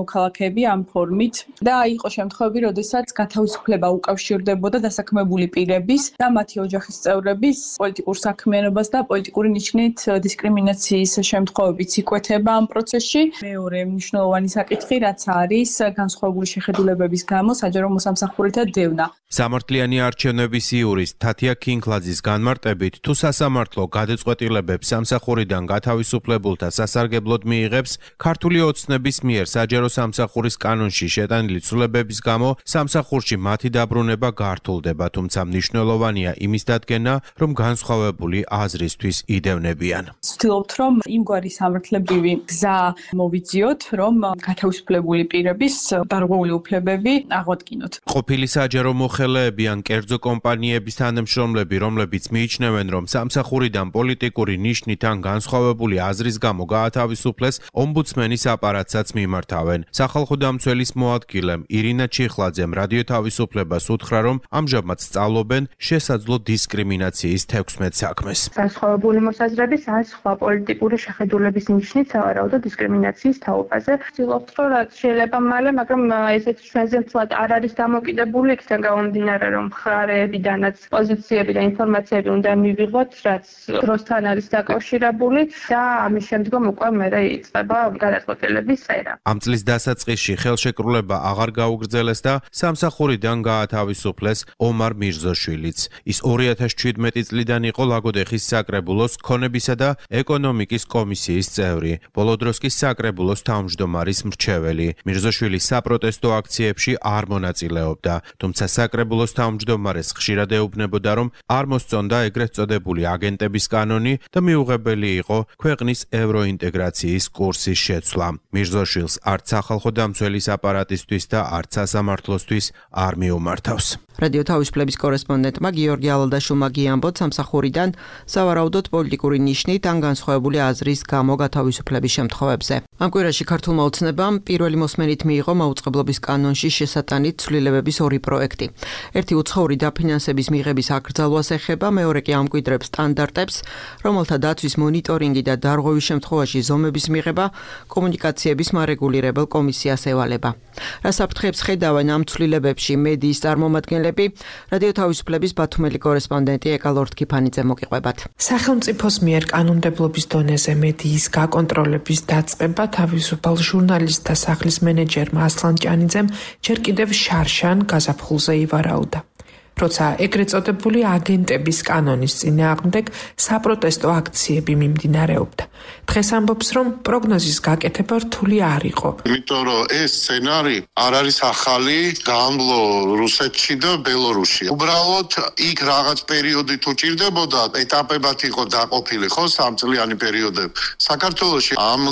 მოქალაქეები ამ ფორმით და იყო შემთხვევები, როდესაც გათავისუფლება უკავშირდებოდა დასაქმებული პირების და მათი ოჯახის წევრების პოლიტიკურ საქმიანობას და პოლიტიკური ნიშნით დისკრიმინაციის შემთხვევებიც იკვეთება ამ პროცესში. მეორე მნიშვნელოვანი საკითხი, რაც არის განსხვავებული შეხედულებების გამო საჯარო მოსამსახურეთა დევნა. სამართლიანი არჩევნების იურისტ თათია ქინკლაძის განმარტებით, თუ სასამართლო გადაწყვეტილებებს სამსახურიდან გათავისუფლებულთა სასარგებლოდ მიიღებს, ქართული ოცნების მიერ საჯარო სამსახურის კანონში შეტანილი ცვლილებების გამო სამსახურში მათი დაბრუნება გართულდება, თუმცა მნიშვნელოვანია იმის დადგენა, რომ განსხვავებული აზრისთვის იდევნებიან. ვცდილობთ, რომ იმგვარი სამართლებრივი გზა მოვიძიოთ, რომ გათავისუფლებული პირების დარღვეული უფლებები აღვადგინოთ. ყოფილი საჯარო მოხელეები ან კერძო კომპანიების თანამშრომლები, რომლებიც მიიჩნევენ, რომ სამსახურიდან პოლიტიკური ნიშნით ან განსხვავებული აზრის გამო გაათავისუფლეს, ომბუდსმენის აპარატსაც მიმართავენ. სახალხო დამცველის მოადგილემ ირინა ჩიხლაძემ რადიო თავისუფლებას უთხრა, რომ ამჟამად სწავლობენ შესაძლო დისკრიმინაციის 16 საქმეს. განსხვავებული მოსაზრების ან სხვა პოლიტიკური შეხედულების ნიშნით სავარაუდო დისკრიმინაციის თაობაზე. ვცდილობთ, რომ რაც შეიძლება მალე, მაგრამ ესეც ჩვენზე მთლად არ არის დამოკიდებული, იქიდან გამომდინარე, რომ მხარეებიდანაც პოზიციები და ინფორმაციები უნდა მივიღოთ, რაც დროსთან არის დაკავშირებული და ამის შემდგომ უკვე მერე იწყება გადაწყვეტილების წერა. ამ წლის დასაწყისში ხელშეკრულება აღარ გაუგრძელეს და სამსახურიდან გაათავისუფლეს ომარ მირზოშვილიც. ის 2017 წლიდან იყო ლაგოდეხის საკრებულოს ქონებისა და ეკონომიკის კომისიის წევრი. ბოლო დროს კი საკრებულოს თავმჯდომარის მრჩეველი. მირზოშვილი საპროტესტო აქციებში არ მონაწილეობდა, თუმცა საკრებულოს თავმჯდომარეს ხშირად ეუბნებოდა, რომ არ მოსწონდა ეგრეთ წოდებული აგენტების კანონი და მიუღებელი იყო ქვეყნის ევროინტეგრაციის კურსის შეცვლა. მირზოშვილს არც სახალხო დამცველის აპარატისთვის და არც სასამართლოსთვის არ მიუმართავს. რადიო თავისუფლების კორესპონდენტმა გიორგი ალადაშვილმა გიამბოთ სამსახურიდან სავარაუდოდ პოლიტიკური ნიშნით ან განსხვავებული აზრის გამო გათავისუფლების შემთხვევებზე. ამ კვირაში ქართულმა ოცნებამ პირველი მოსმენით მიიღო მაუწყებლობის კანონში შესატანით ცვლილებების 2 პროექტი. ერთი უცხოური დაფინანსების მიღების აკრძალვას ეხება, მეორე კი ამკვიდრებს სტანდარტებს, რომელთა დაცვის მონიტორინგი და დარღვევის შემთხვევაში ზომების მიღება კომუნიკაციების მარეგულირებელ კომისიას ევალება. რა საფრთხეებს ხედავენ ამ ცვლილებებში მედიის წარმომადგენლები, რადიო თავისუფლების ბათუმელი კორესპონდენტი ეკალორთქიფანიძე მოგიყვებათ. სახელმწიფოს მიერ კანონმდებლობის დონეზე მედიის გაკონტროლების დაწყება თავისუფალ ჟურნალისტთა სახლის მენეჯერმა ასლან ჭანიძემ ჯერ კიდევ შარშან გაზაფხულზე ივარაუდა. როცა ეგრეთ წოდებული აგენტების კანონის წინააღმდეგ საპროტესტო აქციები მიმდინარეობდა. დღეს ამბობს, რომ პროგნოზის გაკეთება რთული არ იყო. იმიტომ რომ ეს სცენარი არ არის ახალი, გამბლო რუსეთში და ბელორუსში. უბრალოდ იქ რაღაც პერიოდი თუ ჭირდებოდა, ეტაპებად იყო დაყოფილი, ხო, 3 წლიანი პერიოდები. საქართველოში ამ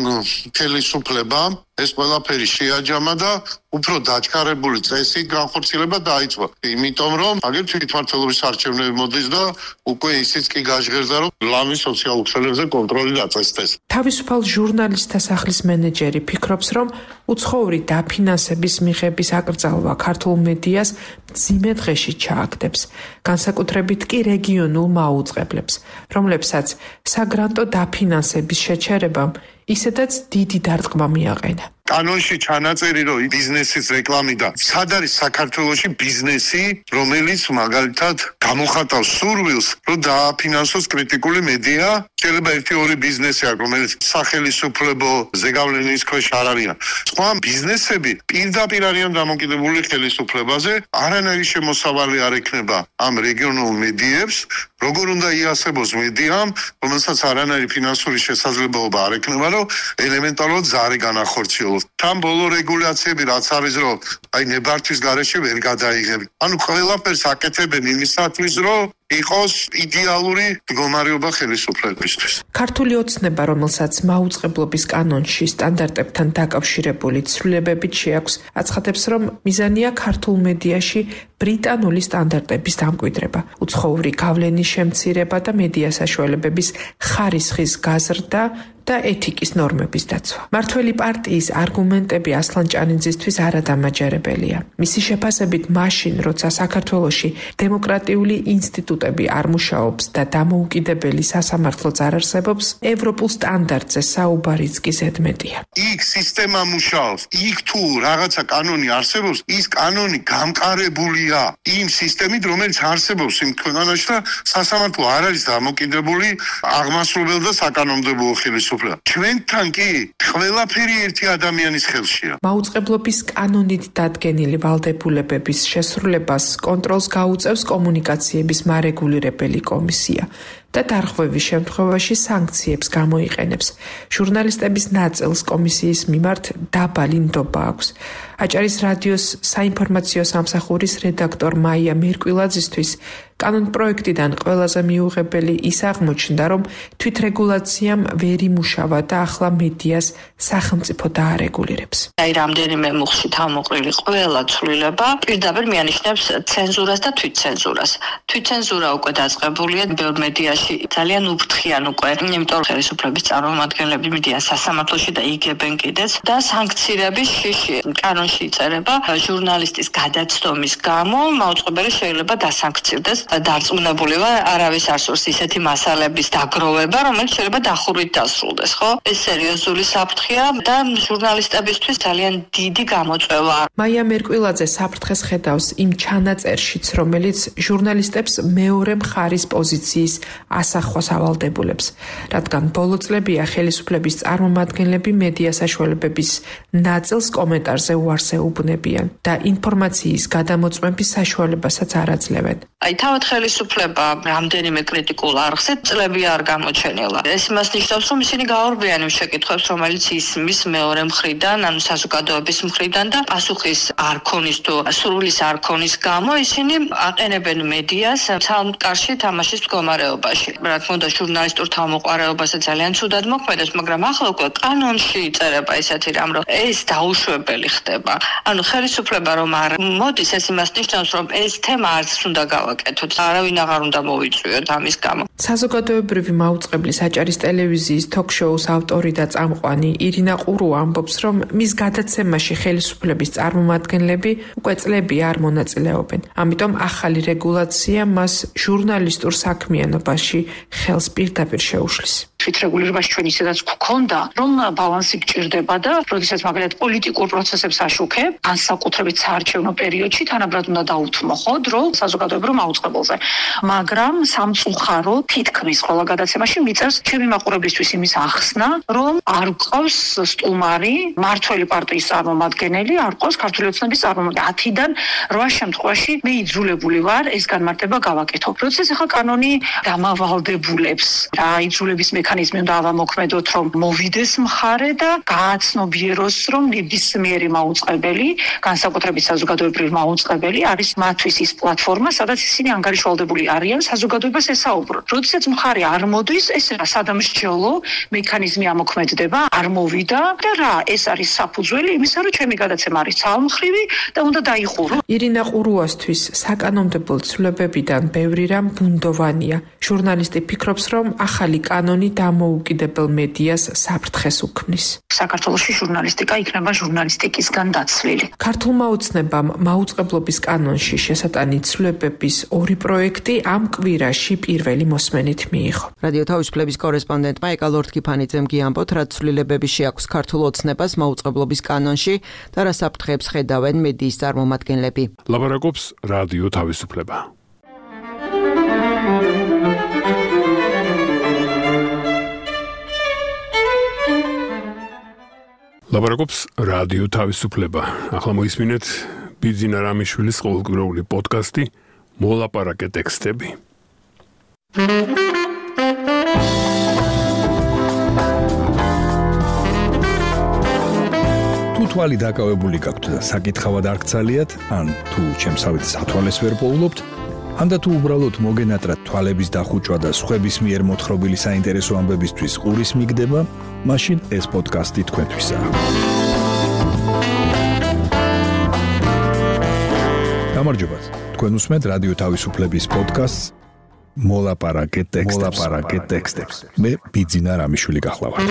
ხელისუფლებამ ეს ყველაფერი შეაჯამა და უფრო დაჩქარებული წესით განხორციელება დაიწყო. იმიტომ რომ აგერ თვითმმართველობის არჩევნები მოდის და უკვე ისიც კი გაჟღერდა, რომ ლამის სოციალურ ქსელებზე კონტროლი დაწესდეს. თავისუფალ ჟურნალისტთა სახლის მენეჯერი ფიქრობს, რომ უცხოური დაფინანსების მიღების აკრძალვა ქართულ მედიას მძიმე დღეში ჩააგდებს, განსაკუთრებით კი რეგიონულ მაუწყებლებს, რომლებსაც საგრანტო დაფინანსების შეჩერებამ ისედაც დიდი დარტყმა მიაყენა. კანონში ჩანაწერი რომ ბიზნესის რეკლამი და სად არის საქართველოში ბიზნესი, რომელიც მაგალითად გამოხატავს სურვილს, რომ დააფინანსოს კრიტიკული მედია, შეიძლება 1-2 ბიზნესი აქვს, რომელიც სახელისუფლებო ზეგავლენის ქვეშ არ არიან. სხვა ბიზნესები პირდაპირ არიან დამოკიდებული ხელისუფლებაზე, არანაირი შემოსავალი არ ექნება ამ რეგიონულ მედიებს, როგორ უნდა იასებოს მედიამ, რომელსაც არანაირი ფინანსური შესაძლებლობა არ ექნება, რომ ელემენტარულად ზარი განახორციელოს. თან ბოლო რეგულაციები რაც არის რომ აი ნებართვის გარეშე ვერ გადაიღები. ანუ ყველაფერს აკეთებენ იმისათვის რომ იყოს იდეალური მდგომარეობა ხელისუფლებისთვის. ქართული ოცნება, რომელსაც მაუწყებლობის კანონში სტანდარტებთან დაკავშირებული ცვლილებებით შეაქვს, აცხადებს, რომ მიზანია ქართულ მედიაში ბრიტანული სტანდარტების დამკვიდრება, უცხოური გავლენის შემცირება და მედია საშუალებების ხარისხის გაზრდა და ეთიკის ნორმების დაცვა. მართველი პარტიის არგუმენტები ასლან ჭანიძისთვის არადამაჯერებელია. მისი შეფასებით, მაშინ, როცა საქართველოში დემოკრატიული ინსტიტუტები არ მუშაობს და დამოუკიდებელი სასამართლოც არ არსებობს, ევროპულ სტანდარტზე საუბარიც კი ზედმეტია. იქ სისტემა მუშაობს, იქ თუ რაღაცა კანონი არსებობს, ის კანონი გამყარებულია იმ სისტემით, რომელიც არსებობს იმ ქვეყანაში და სასამართლო არ არის დამოკიდებული აღმასრულებელ და საკანონმდებლო ხელისუფლებაზე. ჩვენთან კი ყველაფერი ერთი ადამიანის ხელშია. მაუწყებლობის კანონით დადგენილი ვალდებულებების შესრულებას კონტროლს გაუწევს კომუნიკაციების მარეგულირებელი კომისია და დარღვევის შემთხვევაში სანქციებს გამოიყენებს. ჟურნალისტების ნაწილს კომისიის მიმართ დაბალი ნდობა აქვს. აჭარის რადიოს საინფორმაციო სამსახურის რედაქტორ მაია მერკვილაძისთვის კანონპროექტიდან ყველაზე მიუღებელი ის აღმოჩნდა, რომ თვითრეგულაციამ ვერ იმუშავა და ახლა მედიას სახელმწიფო დაარეგულირებს. აი რამდენიმე მუხში თავმოყრილი ყველა ცვლილება პირდაპირ მიანიშნებს ცენზურას და თვითცენზურას. თვითცენზურა უკვე დაწყებულია ბევრ მედიაში, ძალიან უფრთხიან უკვე, იმიტომ რომ ხელისუფლების წარმომადგენლები მიდიან სასამართლოში და იგებენ კიდეც და სანქციების შიში კანონში იწერება ჟურნალისტის გადაცდომის გამო მაუწყებელი შეიძლება დასანქცირდეს. დარწმუნებულია არავის არ სურს ისეთი მასალების დაგროვება, რომელიც შეიძლება დახურვით დასრულდეს, ხო? ეს სერიოზული საფრთხეა და ჟურნალისტებისთვის ძალიან დიდი გამოწვევა. მაია მერკვილაძე საფრთხეს ხედავს იმ ჩანაწერშიც, რომელიც ჟურნალისტებს მეორე მხარის პოზიციის ასახვას ავალდებულებს, რადგან ბოლო წლებია ხელისუფლების წარმომადგენლები მედია საშუალებების ნაწილს კომენტარზე უარს ეუბნებიან და ინფორმაციის გადამოწმების საშუალებასაც არ აძლევენ. აი თავად ხელისუფლება რამდენიმე კრიტიკულ არხზე წლები არ გამოჩენილა. ეს იმას ნიშნავს, რომ ისინი გაურბიან იმ შეკითხვებს, რომელიც ისმის მეორე მხრიდან, ანუ საზოგადოების მხრიდან და პასუხის არ ქონის თუ სურვილის არ ქონის გამო ისინი აყენებენ მედიას ცალმკარში თამაშის მდგომარეობაში. რა თქმა უნდა, ჟურნალისტურ თავმოყარეობაზე ძალიან ცუდად მოქმედებს, მაგრამ ახლა უკვე კანონში იწერება ისეთი რამ, რომ ეს დაუშვებელი ხდება. ანუ ხელისუფლება რომ არ მოდის, ეს იმას ნიშნავს, რომ ეს თემა არც უნდა გავაკეთოთ. არავინ აღარ უნდა მოვიწვიოთ ამის გამო. საზოგადოებრივი მაუწყებლის აჭარის ტელევიზიის თოქ-შოუს ავტორი და წამყვანი ირინა ყურუა ამბობს, რომ მის გადაცემაში ხელისუფლების წარმომადგენლები უკვე წლები არ მონაწილეობენ. ამიტომ ახალი რეგულაცია მას ჟურნალისტურ საქმიანობაში ხელს პირდაპირ შეუშლის. თვითრეგულირებაში ჩვენ ისედაც გვქონდა, რომ ბალანსი გჭირდება და როდესაც მაგალითად პოლიტიკურ პროცესებს აშუქებ, განსაკუთრებით საარჩევნო პერიოდში თანაბრად უნდა დაუთმო ხო დრო საზოგადოებრივ მაუწყებელზე. მაგრამ სამწუხარო თითქმის ყველა გადაცემაში მიწერს ჩემი მაყურებლისთვის იმის ახსნა, რომ არ გყავს სტუმარი, მართველი პარტიის წარმომადგენელი, არ გყავს ქართული ოცნების წარმომადგენელი. 10-დან 8 შემთხვევაში მე იძულებული ვარ ეს განმარტება გავაკეთო. როდესაც ახლა კანონი დამავალდებულებს რა იძულების მექანიზმი უნდა ავამოქმედოთ, რომ მოვიდეს მხარე და გააცნობიეროს, რომ ნებისმიერი მაუწყებელი, განსაკუთრებით საზოგადოებრივი მაუწყებელი არის მათთვის ის პლატფორმა, სადაც ისინი ანგარიშვალდებული არიან საზოგადოებას ესაუბრონ. როდესაც მხარე არ მოდის, ეს რა სადამსჯელო მექანიზმი ამოქმედდება, არ მოვიდა და რა ეს არის საფუძველი იმისა, რომ ჩემი გადაცემა არის ძალმხრივი და უნდა დაიხურო. ირინა ყურუასთვის საკანონმდებლო ცვლილებებიდან ბევრი რამ ბუნდოვანია. ჟურნალისტი ფიქრობს, რომ ახალი კანონი დამოუკიდებელ მედიას საფრთხეს უქმნის. საქართველოში ჟურნალისტიკა იქნება ჟურნალისტიკისგან დაცლილი. ქართულმა ოცნებამ მაუწყებლობის კანონში შესატანი ცვლილებების 2 პროექტი ამ კვირაში პირველი მოსმენით მიიღო. რადიო თავისუფლების კორესპონდენტმა ეკალორთქიფანიძემ გიამბოთ, რა ცვლილებები შეაქვს ქართულ ოცნებას მაუწყებლობის კანონში და რა საფრთხეებს ხედავენ მედიის წარმომადგენლები. ლაბარაკობს რადიო თავისუფლება. ლაბარაკობს რადიო თავისუფლება. ახლა მოისმინეთ ბიძინა რამიშვილის ყოველკვირეული პოდკასტი მოლაპარაკე ტექსტები. თუ თვალი დაკავებული გაქვთ და საკითხავად არ გცალიათ, ან თუ ჩემსავით სათვალეს ვერ პოულობთ, ან და თუ უბრალოდ მოგენატრათ თვალების დახუჭვა და სხვების მიერ მოთხრობილი საინტერესო ამბებისთვის ყურის მიგდება, მაშინ ეს პოდკასტი თქვენთვისაა. გამარჯობათ. თქვენ უსმენთ რადიო თავისუფლების პოდკასტს მოლაპარაკე ტექსტებს. მე ბიძინა რამიშვილი გახლავართ.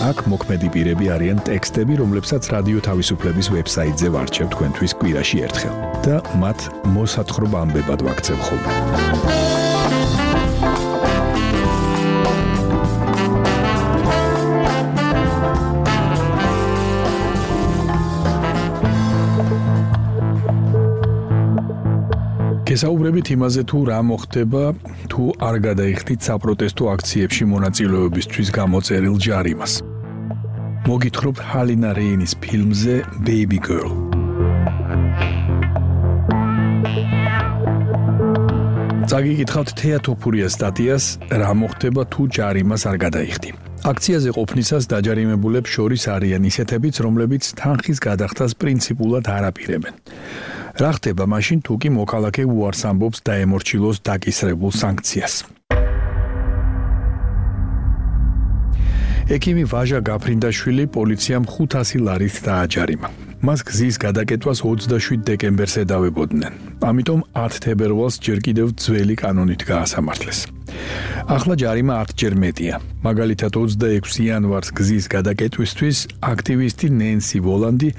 აქ მოქმედი პირები არიან ტექსტები, რომლებსაც რადიო თავისუფლების ვებსაიტზე ვარჩევ თქვენთვის კვირაში ერთხელ და მათ მოსათხრობ ამბებად ვაქცევ ხოლმე. გესაუბრებით იმაზე, თუ რა მოხდება, თუ არ გადაიხდით საპროტესტო აქციებში მონაწილეობისთვის გამოწერილ ჯარიმას. მოგითხრობთ ჰალინა რეინის ფილმზე Baby Girl. წაგიკითხავთ თეატოფურიას სტატიას, რა მოხდება თუ ჯარიმას არ გადაიხდი. აქციაზე ყოფნისას დაჯარიმებულებს შორის არიან ისეთებიც, რომლებიც თანხის გადახდას პრინციპულად არ აპირებენ. რა ხდება მაშინ, თუ კი მოქალაქე უარს ამბობს დაემორჩილოს დაკისრებულ სანქციას? ექიმი ვაჟა გაფრინდაშვილი პოლიციამ 500 ლარით დააჯარიმა. მას გზის გადაკეთვას 27 დეკემბერს ედავებოდნენ. ამიტომ 10 თებერვალს ჯერ კიდევ ძველი კანონით გაასამართლეს. ახლა ჯარიმა 10 ჯერ მეტია. მაგალითად 26 იანვარს გზის გადაკეთვისთვის აქტივისტი ნენსი ვოლანდი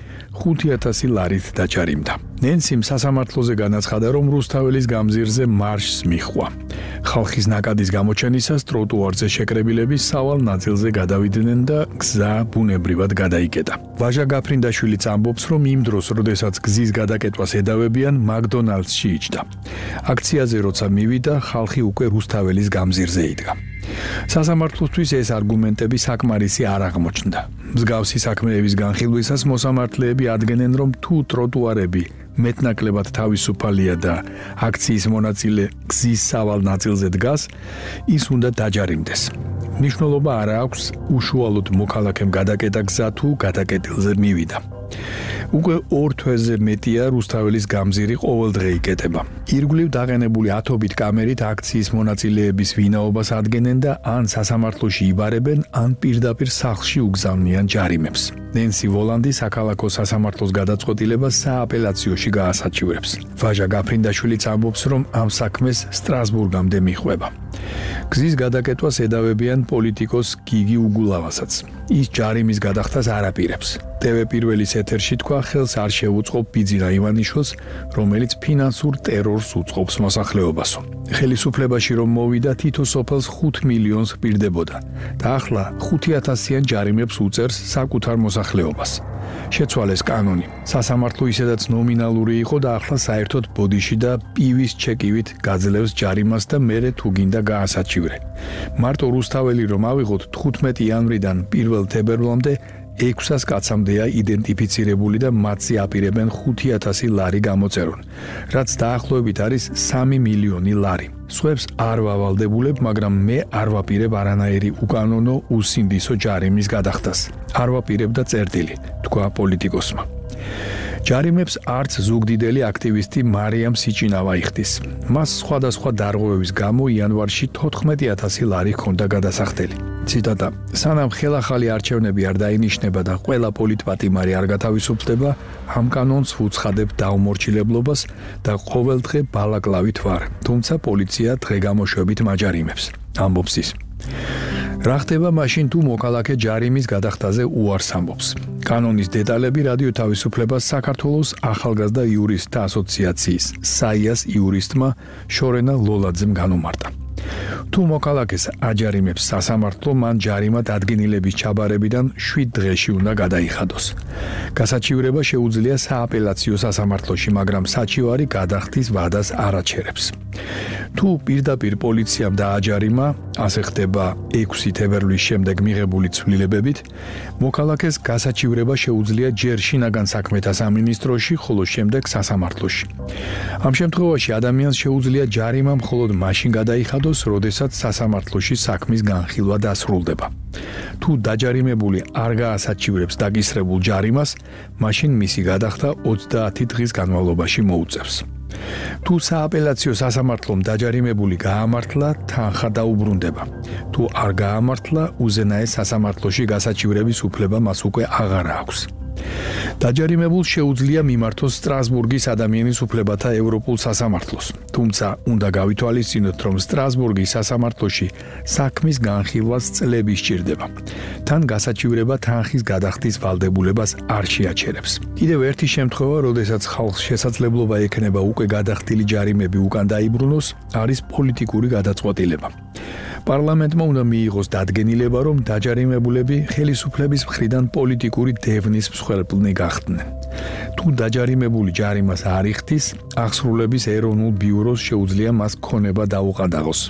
5000 ლარით დაჯარიმდა. ნენსიმ სასამართლოზე განაცხადა, რომ რუსთაველის გამზირზე მარშს მიჰყვა. ხალხის ნაკადის გამოჩენისას ტროტუარზე შეკრებილები სავალ ნაწილზე გადავიდნენ და გზა ბუნებრივად გადაიკეტა. ვაჟა გაფრინდაშვილიც ამბობს, რომ იმ დროს, როდესაც გზის გადაკეთვას ედავებიან, მაკდონალდსში იჯდა. აქციაზე როცა მივიდა, ხალხი უკვე რუსთაველის გამზირზე იდგა. სასამართლოსთვის ეს არგუმენტები საკმარისი არ აღმოჩნდა. მსგავსი საქმეების განხილვისას მოსამართლეები ადგენენ, რომ თუ ტროტუარები მეტნაკლებად თავისუფალია და აქციის მონაწილე გზის სავალ ნაწილზე დგას, ის უნდა დაჯარიმდეს. მნიშვნელობა არ აქვს უშუალოდ მოქალაქემ გადაკეტა გზა თუ გადაკეტილზე მივიდა. უკვე 2 თვეზე მეტია რუსთაველის გამზირი ყოველდღე იკეტება. ირგვლივ დაყენებული ათობით კამერით აქციის მონაწილეების ვინაობას ადგენენ და ან სასამართლოში იბარებენ, ან პირდაპირ სახლში უგზავნიან ჯარიმებს. ნენსი ვოლანდი საქალაქო სასამართლოს გადაწყვეტილებას სააპელაციოში გაასაჩივრებს. ვაჟა გაფრინდაშვილიც ამბობს, რომ ამ საქმეს სტრასბურგამდე მიჰყვება. გზის გადაკეთვას ედავებიან პოლიტიკოს გიგი უგულავასაც. ის ჯარიმის გადახდას არ აპირებს TV პირველის ეთერში თქვა, ხელს არ შეუწყობ ბიძინა ივანიშვილს, რომელიც ფინანსურ ტერორს უწყობს მოსახლეობასო. ხელისუფლებაში რომ მოვიდა, თითო სოფელს 5 მილიონს პირდებოდა და ახლა 5,000-იან ჯარიმებს უწევს საკუთარ მოსახლეობას. შეცვალეს კანონი. სასამართლო ისედაც ნომინალური იყო და ახლა საერთოდ ბოდიში და პივის ჩეკივით გაძლევს ჯარიმას და მერე თუ გინდა გაასაჩივრე. მარტო რუსთაველი რომ ავიღოთ 15 იანვრიდან 1 თებერვლამდე 600 კაცამდეა იდენტიფიცირებული და მათზე აპირებენ 5,000 ლარი გამოწერონ, რაც დაახლოებით არის 3 მილიონი ლარი. სხვებს არ ვავალდებულებ, მაგრამ მე არ ვაპირებ არანაირი უკანონო უსინდისო ჯარიმის გადახდას. არ ვაპირებ და წერტილი, თქვა პოლიტიკოსმა. ჯარიმებს არც ზუგდიდელი აქტივისტი მარიამ სიჭინავა იხდის. მას სხვადასხვა დარღვევების გამო იანვარში 14,000 ლარი ჰქონდა გადასახდელი. ციტატა: სანამ ხელახალი არჩევნები არ დაინიშნება და ყველა პოლიტპატიმარი არ გათავისუფლდება, ამ კანონს ვუცხადებ დაუმორჩილებლობას და ყოველდღე ბალაკლავით ვარ. თუმცა პოლიცია დღე-გამოშვებით მაჯარიმებს. ამბობს ის. რა ხდება მაშინ თუ მოქალაქე ჯარიმის გადახდაზე უარს ამბობს? კანონის დეტალები რადიო თავისუფლებას საქართველოს ახალგაზრდა იურისტთა ასოციაციის საიას იურისტმა შორენა ლოლაძემ განუმარტა. თუ მოქალაქეს აჯარიმებს სასამართლო, მან ჯარიმა დადგენილების ჩაბარებიდან 7 დღეში უნდა გადაიხადოს. გასაჩივრება შეუძლია სააპელაციო სასამართლოში, მაგრამ საჩივარი გადახდის ვადას არ აჩერებს. თუ პირდაპირ პოლიციამ დააჯარიმა, ასე ხდება 6 თებერვლის შემდეგ მიღებული ცვლილებებით, მოქალაქეს გასაჩივრება შეუძლია ჯერ შინაგან საქმეთა სამინისტროში, ხოლო შემდეგ სასამართლოში. ამ შემთხვევაში ადამიანს შეუძლია ჯარიმა მხოლოდ მაშინ გადაიხადოს, როდესაც სასამართლოში საქმის განხილვა დასრულდება. თუ დაჯარიმებული არ გაასაჩივრებს დაგისრებულ ჯარიმას, მაშინ მისი გადახდა 30 დღის განმავლობაში მოუწევს. თუ სააპელაციო სასამართლომ დაჯარიმებული გაამართლა, თანხა დაუბრუნდება. თუ არ გაამართლა, უზენაეს სასამართლოში გასაჩივრების უფლება მას უკვე აღარ აქვს. დაჯარიმებულს შეუძლია მიმართოს სტრასბურგის ადამიანის უფლებათა ევროპულ სასამართლოს. თუმცა უნდა გავითვალისწინოთ, რომ სტრასბურგის სასამართლოში საქმის განხილვას წლები სჭირდება. თან გასაჩივრება თანხის გადახდის ვალდებულებას არ შეაჩერებს. კიდევ ერთი შემთხვევა, როდესაც ხალხს შესაძლებლობა ექნება უკვე გადახდილი ჯარიმები უკან დაიბრუნოს, არის პოლიტიკური გადაწყვეტილება. პარლამენტმა უნდა მიიღოს დადგენილება, რომ დაჯარიმებულები ხელისუფლების მხრიდან პოლიტიკური დევნის მსხვერპლნი გახდნენ. თუ დაჯარიმებული ჯარიმას არ იხდის, აღსრულების ეროვნულ ბიუროს შეუძლია მას ქონება დაუყადაღოს.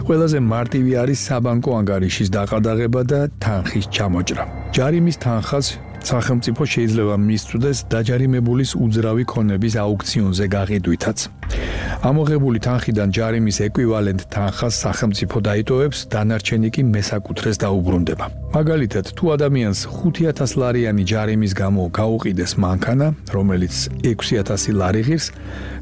ყველაზე მარტივი არის საბანკო ანგარიშის დაყადაღება და თანხის ჩამოჭრა. ჯარიმის თანხას სახელმწიფო შეიძლება მისწვდეს დაჯარიმებულის უძრავი ქონების აუქციონზე გაყიდვითაც. ამოღებული თანხიდან ჯარიმის ეკვივალენტ თანხას სახელმწიფო დაიტოვებს, დანარჩენი კი მესაკუთრეს დაუბრუნდება. მაგალითად, თუ ადამიანს 5,000 ლარიანი ჯარიმის გამო გაუყიდეს მანქანა, რომელიც 6,000 ლარი ღირს,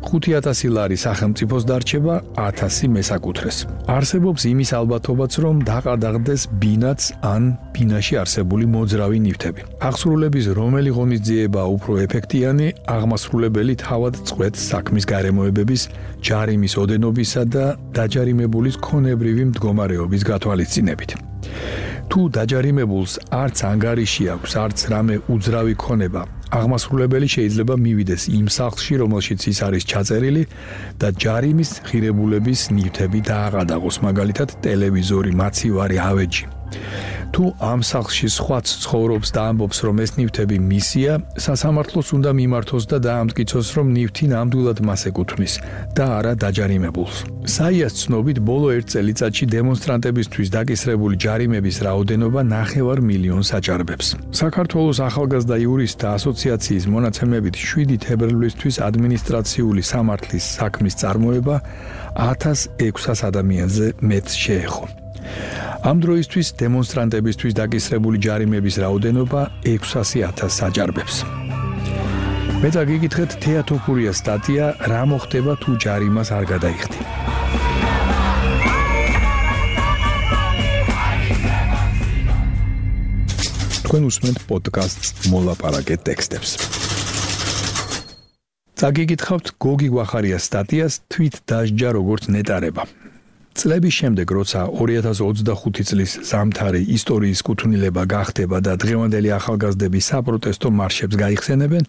5,000 ლარი სახელმწიფოს დარჩება, 1,000 მესაკუთრეს. არსებობს იმის ალბათობაც, რომ დაყადაღდეს ბინაც ან ბინაში არსებული მოძრავი ნივთები. აღსრულების რომელი ღონისძიებაა უფრო ეფექტიანი, აღმასრულებელი თავად წყვეტს საქმის გარემოებების, ჯარიმის ოდენობისა და დაჯარიმებულის ქონებრივი მდგომარეობის გათვალისწინებით. თუ დაჯარიმებულს არც ანგარიში აქვს, არც რამე უძრავი ქონება, აღმასრულებელი შეიძლება მივიდეს იმ სახლში, რომელშიც ის არის ჩაწერილი და ჯარიმის ღირებულების ნივთები დააყადაღოს, მაგალითად ტელევიზორი, მაცივარი, ავეჯი. თუ ამ სახლში სხვაც ცხოვრობს და ამბობს, რომ ეს ნივთები მისია, სასამართლოს უნდა მიმართოს და დაამტკიცოს, რომ ნივთი ნამდვილად მას ეკუთვნის და არა დაჯარიმებულს. საიას ცნობით, ბოლო 1 წელიწადში დემონსტრანტებისთვის დაკისრებული ჯარიმების რაოდენობა 9 მილიონს აჭარბებს. საქართველოს ახალგაზრდა იურისტთა ასოციაციის მონაცემებით 7 თებერვლისთვის ადმინისტრაციული სამართლის საქმის წარმოება 1600 ადამიანზე მეტს შეეხო. ამ დროისთვის დემონსტრანტებისთვის დაკისრებული ჯარიმების რაოდენობა 600,000-ს აჭარბებს. მეტა გიგითხრეთ თეატოფურიას სტატია რა მოხდება თუ ჯარიმას არ გადაიხდი. თქვენ უსმენთ პოდკასტს მოლაპარაკე ტექსტებს. წაგიგითხავთ გოგი გვახარიას სტატიას თვით დასჯა როგორც ნეტარება. წლების შემდეგ, როცა 2025 წლის ზამთარი ისტორიის კუთვნილება გახდება და დღევანდელი ახალგაზრდები საპროტესტო მარშებს გაიხსენებენ,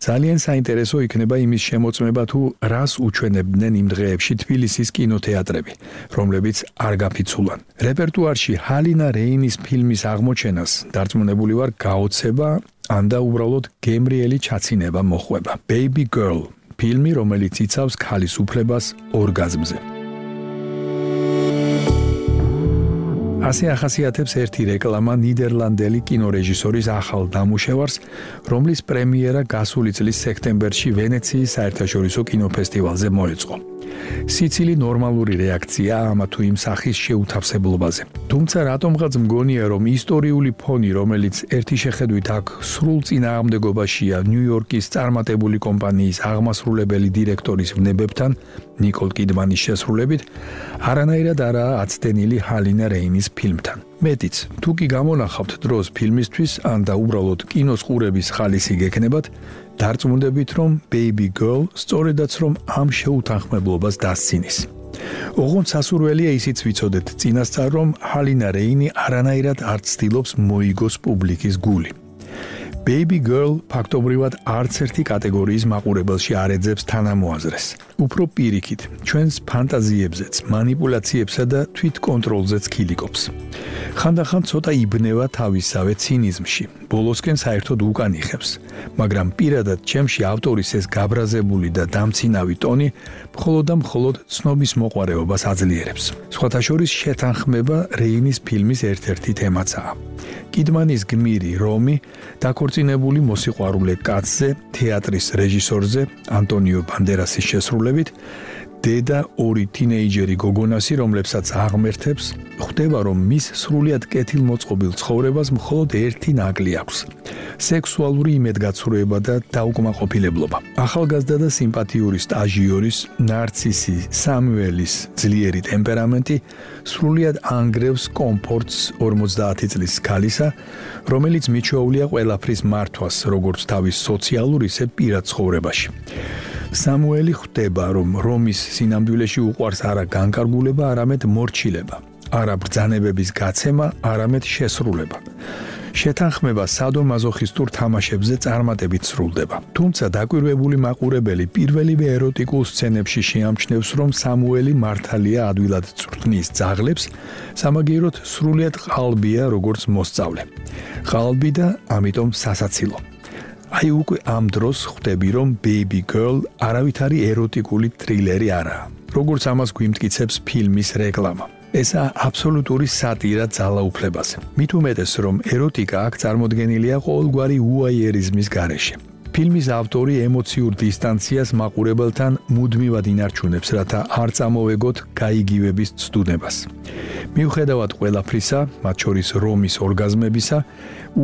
ძალიან საინტერესო იქნება იმის შემოწმება თუ რას უჩვენებდნენ იმ დღეებში თბილისის კინოთეატრები, რომლებიც არ გაფიცულან. რეპერტუარში ჰალინა რეინის ფილმის აღმოჩენას დარწმუნებული ვარ გაოცება ან და უბრალოდ გემრიელი ჩაცინება მოხვება. Baby Girl, ფილმი, რომელიც იცავს ქალის უფლებას ორგაზმზე. ასე ახასიათებს ერთი რეკლამა ნიდერლანდელი კინორეჟისორის ახალ დამუშევარს, რომლის პრემიერა გასული წლის სექტემბერში ვენეციის საერთაშორისო კინოფესტივალზე მოეწყო. სიცილი ნორმალური რეაქცია ამა თუ იმ სახის შეუთავსებლობაზე. თუმცა რატომღაც მგონია, რომ ისტორიული ფონი, რომელიც ერთი შეხედვით აქ სრულ წინააღმდეგობაშია ნიუ-იორკის წარმატებული კომპანიის აღმასრულებელი დირექტორის ვნებებთან, ნიკოლ კიდმანის შესრულებით, არანაირად არაა აცდენილი ჰალინა რეინის ფილმთან. მეტიც, თუ კი გამონახავთ დროს ფილმისთვის, ან და უბრალოდ კინოს ყურების ხალისი გექნებათ, დარწმუნდებით, რომ Baby Girl სწორედაც რომ ამ შეუთანხმებლობას დასცინის. ოღონდ სასურველია ისიც ვიცოდეთ წინასწარ, რომ ჰალინა რეინი არანაირად არ ცდილობს მოიგოს პუბლიკის გული. Baby Girl ფაქტობრივად არც ერთი კატეგორიის მაყურებელში არ ეძებს თანამოაზრეს. უფრო პირიქით, ჩვენს ფანტაზიებზეც, манипуляციებსა და თვითკონტროლზეც ქილიკობს. ხანდახან ცოტა იბნევა თავისავე ცინიზმში, ბოლოსკენ საერთოდ უკან იხევს, მაგრამ პირადად ჩემში ავტორის ეს გაბრაზებული და დამცინავი ტონი მხოლოდ და მხოლოდ ცნობის მოყვარეობას აძლიერებს. სხვათა შორის შეთანხმება რეინის ფილმის ერთ-ერთი თემაცაა. კიდმანის გმირი რომი დაქორწინებული მოსიყვარულე კაცზე, თეატრის რეჟისორზე ანტონიო ბანდერასის შესრულებით, დედა ორი თინეიჯერი გოგონასი, რომლებსაც აღმერთებს, ხვდება, რომ მის სრულიად კეთილმოწყობილ ცხოვრებას მხოლოდ ერთი ნაკლი აქვს: სექსუალური იმედგაცრუება და დაუკმაყოფილებლობა. ახალგაზრდა და სიმპათიური სტაჟიორის, ნარცისი სამუელის ძლიერი ტემპერამენტი სრულიად ანგრევს კომფორტს 50 წლის ქალისა, რომელიც მიჩვეულია ყველაფრის მართვას, როგორც თავის სოციალურ, ისე პირად ცხოვრებაში. სამუელი ხვდება, რომ რომის სინამდვილეში უყვარს არა განკარგულება, არამედ მორჩილება, არა ბრძანებების გაცემა, არამედ შესრულება. შეთანხმება სადომაზოხისტურ თამაშებზე წარმატებით სრულდება. თუმცა დაკვირვებული მაყურებელი პირველივე ეროტიკულ სცენებში შეამჩნევს, რომ სამუელი მართალია ადვილად წვრთნის ძაღლებს, სამაგიეროდ სრულიად ყალბია როგორც მოსწავლე. ყალბი და ამიტომ სასაცილო. აი უკვე ამ დროს ხვდები, რომ Baby Girl არავითარი ეროტიკული ტრილერი არაა, როგორც ამას გვიმტკიცებს ფილმის რეკლამა. ესა აბსოლუტური სატირა ძალაუფლებაზე. მით უმეტეს, რომ ეროტიკა აქ წარმოდგენილია ყოველგვარი უაიერიზმის გარეშე. ფილმის ავტორი ემოციურ დისტანციას მაყურებელთან მუდმივად ინარჩუნებს, რათა არ წამოვეგოთ გაიგივების ცდუნებას. მიუხედავად ყველაფრისა, მათ შორის რომის ორგაზმებისა,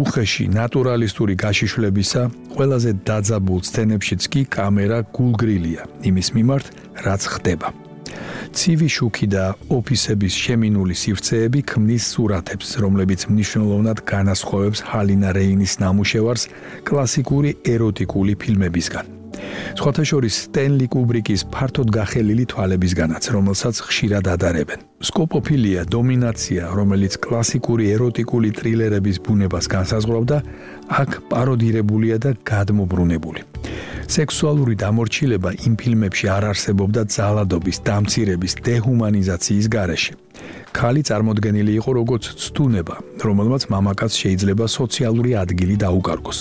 უხეში ნატურალისტური გაშიშვლებისა, ყველაზე დაძაბულ სცენებშიც კი კამერა გულგრილია იმის მიმართ, რაც ხდება. ცივი შუქი და ოფისების შემინული სივრცეები ქმნის სურათებს, რომლებიც მნიშვნელოვნად განასხვავებს ჰალინა რეინის ნამუშევარს კლასიკური ეროტიკული ფილმებისგან. სხვათა შორის სტენლი კუბრიკის ფართოდ გახელილი თვალებისგანაც, რომელსაც ხშირად ადარებენ. სკოპოფილია, დომინაცია, რომელიც კლასიკური ეროტიკული ტრილერების ბუნებას განსაზღვრავდა, აქ პაროდირებულია და გადმობრუნებული. სექსუალური დამორჩილება იმ ფილმებში არ არსებობდა ძალადობის, დამცირების, დეჰუმანიზაციის გარეშე. ქალი წარმოდგენილი იყო როგორც ცდუნება, რომელმაც მამაკაც შეიძლება სოციალური ადგილი დაუკარგოს.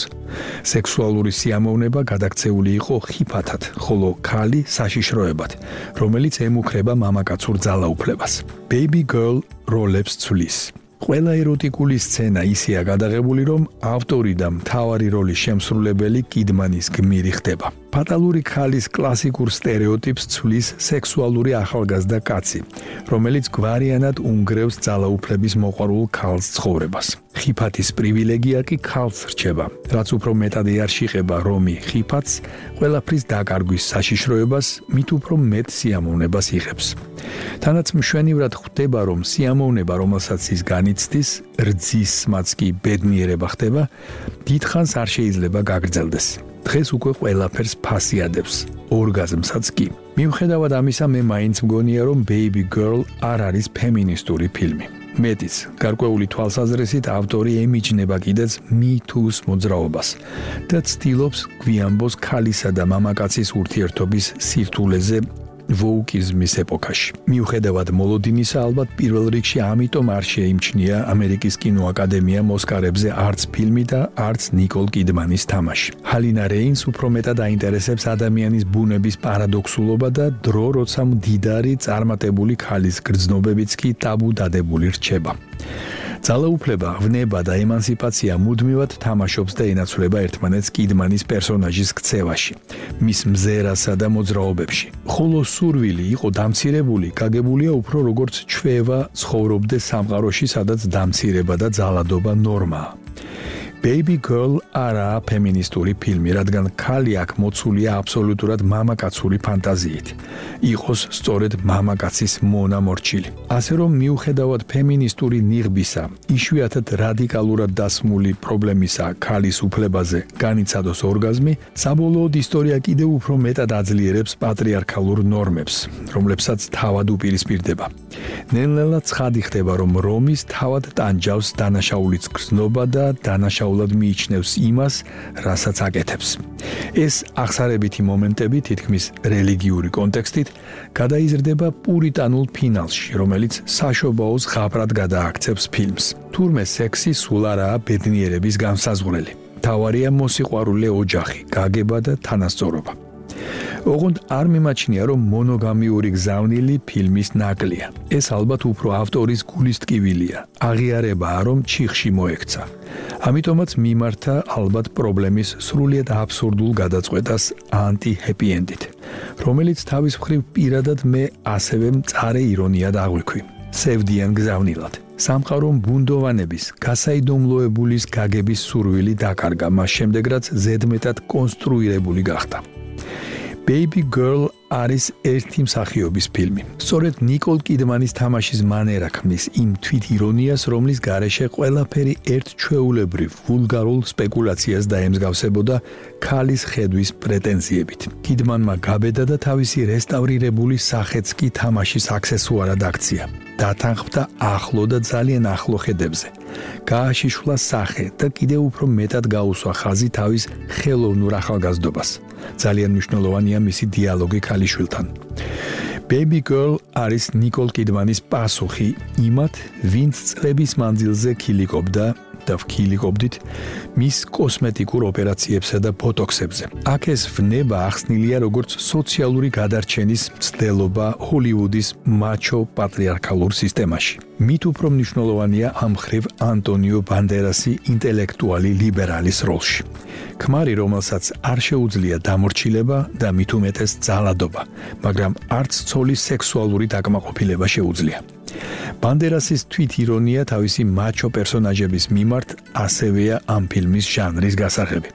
სექსუალური სიამოვნება გადაქცეული იყო ხიფათად, ხოლო ქალი საშიშროებად, რომელიც ემუქრება მამაკაცურ ძალაუფლებას. Baby Girl როლებს ცვლის. ყველა ეროტიკული სცენა ისეა გადაღებული, რომ ავტორი და მთავარი როლის შემსრულებელი კიდმანის გმირი ხდება. ფატალური ქალის კლასიკურ სტერეოტიპს ცვლის სექსუალური ახალგაზრდა კაცი, რომელიც გვარიანად უნგრევს ძალაუფლების მოყვარულ ქალს ცხოვრებას. ხიფათის პრივილეგია კი ქალს რჩება, რაც უფრო მეტად ეარშიხება რომი ხიფათს, ყველაფრის დაკარგვის საშიშროებას, მით უფრო მეტ სიამოვნებას იღებს. თანაც მშვენივრად ხვდება, რომ სიამოვნება, რომელსაც ის განიცდის, რძისმაც კი ბედნიერება ხდება, დიდხანს არ შეიძლება გაგრძელდეს. დღეს უკვე ყველაფერს ფასი ადევს. ორგაზმსაც კი. მიუხედავად ამისა, მე მაინც მგონია, რომ Baby Girl არ არის ფემინისტური ფილმი. მეტიც, გარკვეული თვალსაზრისით ავტორი ემიჯნება კიდეც Me Too-ს მოძრაობას და ცდილობს გვიანბოს ქალისა და მამაკაცის ურთიერთობის სირთულეზე ვოუკიზმის ეპოქაში. მიუხედავად მოლოდინისა, ალბათ პირველ რიგში ამიტომ არ შეიმჩნია ამერიკის კინოაკადემიამ ოსკარებზე არც ფილმი და არც ნიკოლ კიდმანის თამაში. ჰალინა რეინს უფრო მეტად აინტერესებს ადამიანის ბუნების პარადოქსულობა და დრო, როცა მდიდარი წარმატებული ქალის გრძნობებიც კი ტაბუ დადებული რჩება. ძალაუფლება, ვნება და ემანსიპაცია მუდმივად თამაშობს და ენაცვლება ერთმანეთს კიდმანის პერსონაჟის ქცევაში, მის მზერასა და მოძრაობებში. ხოლო სურვილი იყო დამცირებული, გაგებულია უფრო როგორც ჩვევა ცხოვრობდეს სამყაროში, სადაც დამცირება და ძალადობა ნორმაა. Baby Girl არაა ფემინისტური ფილმი, რადგან ქალი აქ მოცულია აბსოლუტურად მამაკაცური ფანტაზიით. იყოს სწორედ მამაკაცის მონამორჩილი. ასე რომ მიუხედავად ფემინისტური ნიღბისა, იშვიათად რადიკალურად დასმული პრობლემისა ქალის უფლებაზე განიცადოს ორგაზმი, საბოლოოდ ისტორია კიდევ უფრო მეტად აძლიერებს პატრიარქალურ ნორმებს, რომლებსაც თავად უპირისპირდება. ნელ-ნელა ცხადი ხდება, რომ რომის თავად ტანჯავს დანაშაულიც გრძნობა და დანაშაულად მიიჩნევს იმას, რასაც აკეთებს. ეს აღსარებითი მომენტები თითქმის რელიგიური კონტექსტით გადაიზრდება პურიტანულ ფინალში, რომელიც საშობაოს ღაბრად გადააქცევს ფილმს. თურმე სექსი სულ არაა ბედნიერების განსაზღვრელი. თავარია მოსიყვარულე ოჯახი, გაგება და თანასწორობა. ოღონდ არ მიმაჩნია, რომ მონოგამიური გზავნილი ფილმის ნაკლია. ეს ალბათ უფრო ავტორის გულის ტკივილია. აღიარებაა, რომ ჩიხში მოექცა. ამიტომაც მიმართა ალბათ პრობლემის სრულიად აბსურდულ გადაწყვეტას ანტი-ჰეპი ენდით, რომელიც თავის მხრივ პირადად მე ასევე მწარე ირონიად აღვიქვი. სევდიან გზავნილად. სამყარომ ბუნდოვანების, გასაიდუმლოებულის გაგების სურვილი დაკარგა, მას შემდეგ რაც ზედმეტად კონსტრუირებული გახდა. Baby Girl არის ერთი მსახიობის ფილმი. სწორედ ნიკოლ კიდმანის თამაშის მანერა ქმნის იმ თვითირონიას, რომლის გარეშე ყველაფერი ერთჩვეულებრივ ვულგარულ სპეკულაციას დაემსგავსებოდა ქალის ხედვის პრეტენზიებით. კიდმანმა გაბედა და თავისი რესტავრირებული სახეც კი თამაშის აქსესუარად აქცია. დათანხმდა ახლო და ძალიან ახლო ხედებზე. გააშიშვლა სახე და კიდევ უფრო მეტად გაუსვა ხაზი თავის ხელოვნურ ახალგაზრდობას. ძალიან მნიშვნელოვანია მისი დიალოგი ქალიშვილთან. Baby Girl არის ნიკოლ კიდმანის პასუხი იმათ, ვინც წლების მანძილზე ქილიკობდა და ვქილიკობდით მის კოსმეტიკურ ოპერაციებსა და ბოტოქსებზე. აქ ეს ვნება ახსნილია როგორც სოციალური გადარჩენის მცდელობა ჰოლივუდის მაჩო პატრიარქალურ სისტემაში. მით უფრო მნიშვნელოვანია ამ მხრივ ანტონიო ბანდერასი ინტელექტუალი ლიბერალის როლში. ქმარი, რომელსაც არ შეუძლია დამორჩილება და მით უმეტეს ძალადობა, მაგრამ არც ცოლის სექსუალური დაკმაყოფილება შეუძლია. ბანდერასის თვითირონია თავისი მაჩო პერსონაჟების მიმართ ასევეა ამ ფილმის ჟანრის გასაღები.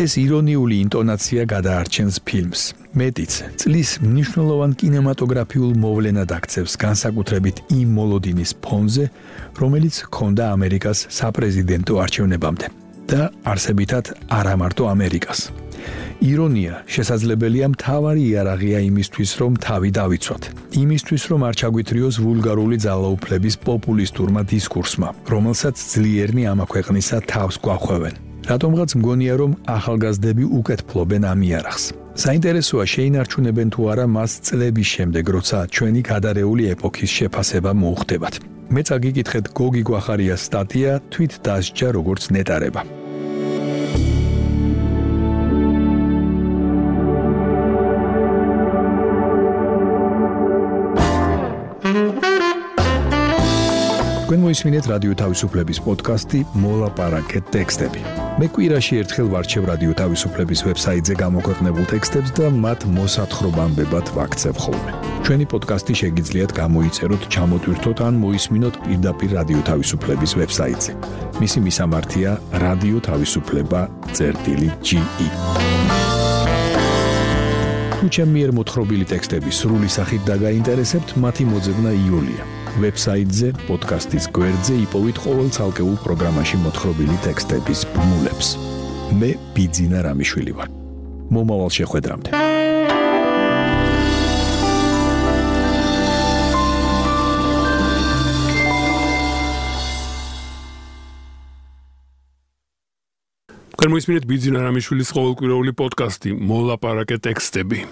ეს ირონიული ინტონაცია გადაარჩენს ფილმს. მეტიც, წლის მნიშვნელოვან კინემატოგრაფიულ მოვლენად აქცევს განსაკუთრებით იმ მოლოდინის ფონზე, რომელიც ჰქონდა ამერიკას საპრეზიდენტო არჩევნებამდე და არსებითად არა მარტო ამერიკას. ირონია შესაძლებელია მთავარი იარაღია იმისთვის, რომ თავი დავიცვათ. იმისთვის, რომ არ ჩაგვითრიოს ვულგარული ძალაუფლების პოპულისტურმა დისკურსმა, რომელსაც ძლიერნი ამა ქვეყნისა თავს გვახვევენ. რატომღაც მგონია, რომ ახალგაზრდები უკეთ ფლობენ ამ იარაღს. საინტერესოა შეინარჩუნებენ თუ არა მას წლების შემდეგ, როცა ჩვენი გადარეული ეპოქის შეფასება მოუხდებათ. მე წაგიკითხეთ გოგი გვახარიას სტატია თვით დასჯა როგორც ნეტარება. თქვენ მოისმინეთ რადიო თავისუფლების პოდკასტი მოლაპარაკეთ ტექსტები. მე კვირაში ერთხელ ვარჩევ რადიო თავისუფლების ვებსაიტზე გამოქვეყნებულ ტექსტებს და მათ მოსათხრობამდებად ვაქცევ ხოლმე. ჩვენი პოდკასტი შეგიძლიათ გამოიწეროთ, ჩამოტვირთოთ ან მოისმინოთ პირდაპირ რადიო თავისუფლების ვებსაიტზე. მისი მისამართია რადიო თავისუფლება.ge. თუ ჩემი მიერ მოთხრობილი ტექსტები სრული სახით დაგაინტერესებთ, მათი მოძებნა იულია. ვებსაიტზე, პოდკასტის გვერდზე იპოვით ყოველ ცალკეულ პროგრამაში მოთხრობილი ტექსტების ბმულებს. მე ბიძინა რამიშვილი ვარ. მომავალ შეხვედრამდე. გამოისმინეთ ბიძინა რამიშვილის ყოველკვირეული პოდკასტი მოლაპარაკე ტექსტები.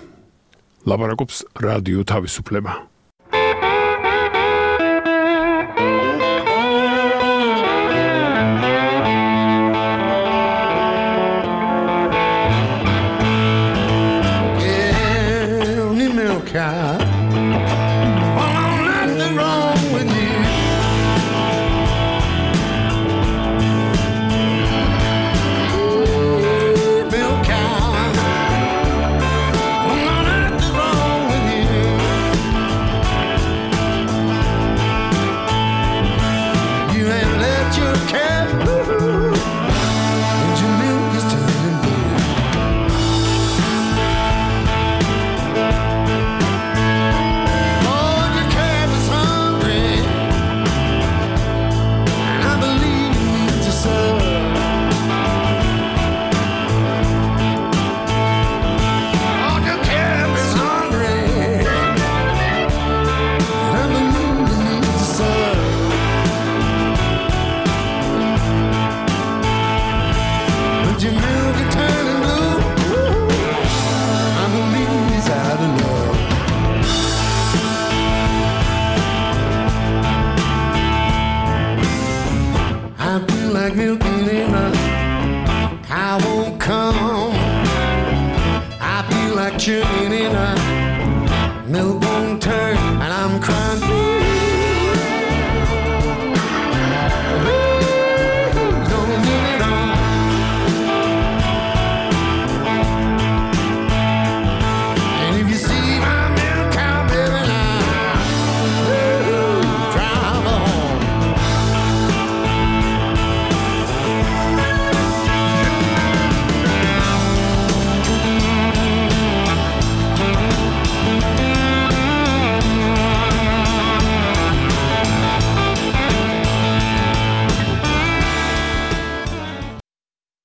ლაპარაკობს რადიო თავისუფლება. Sugar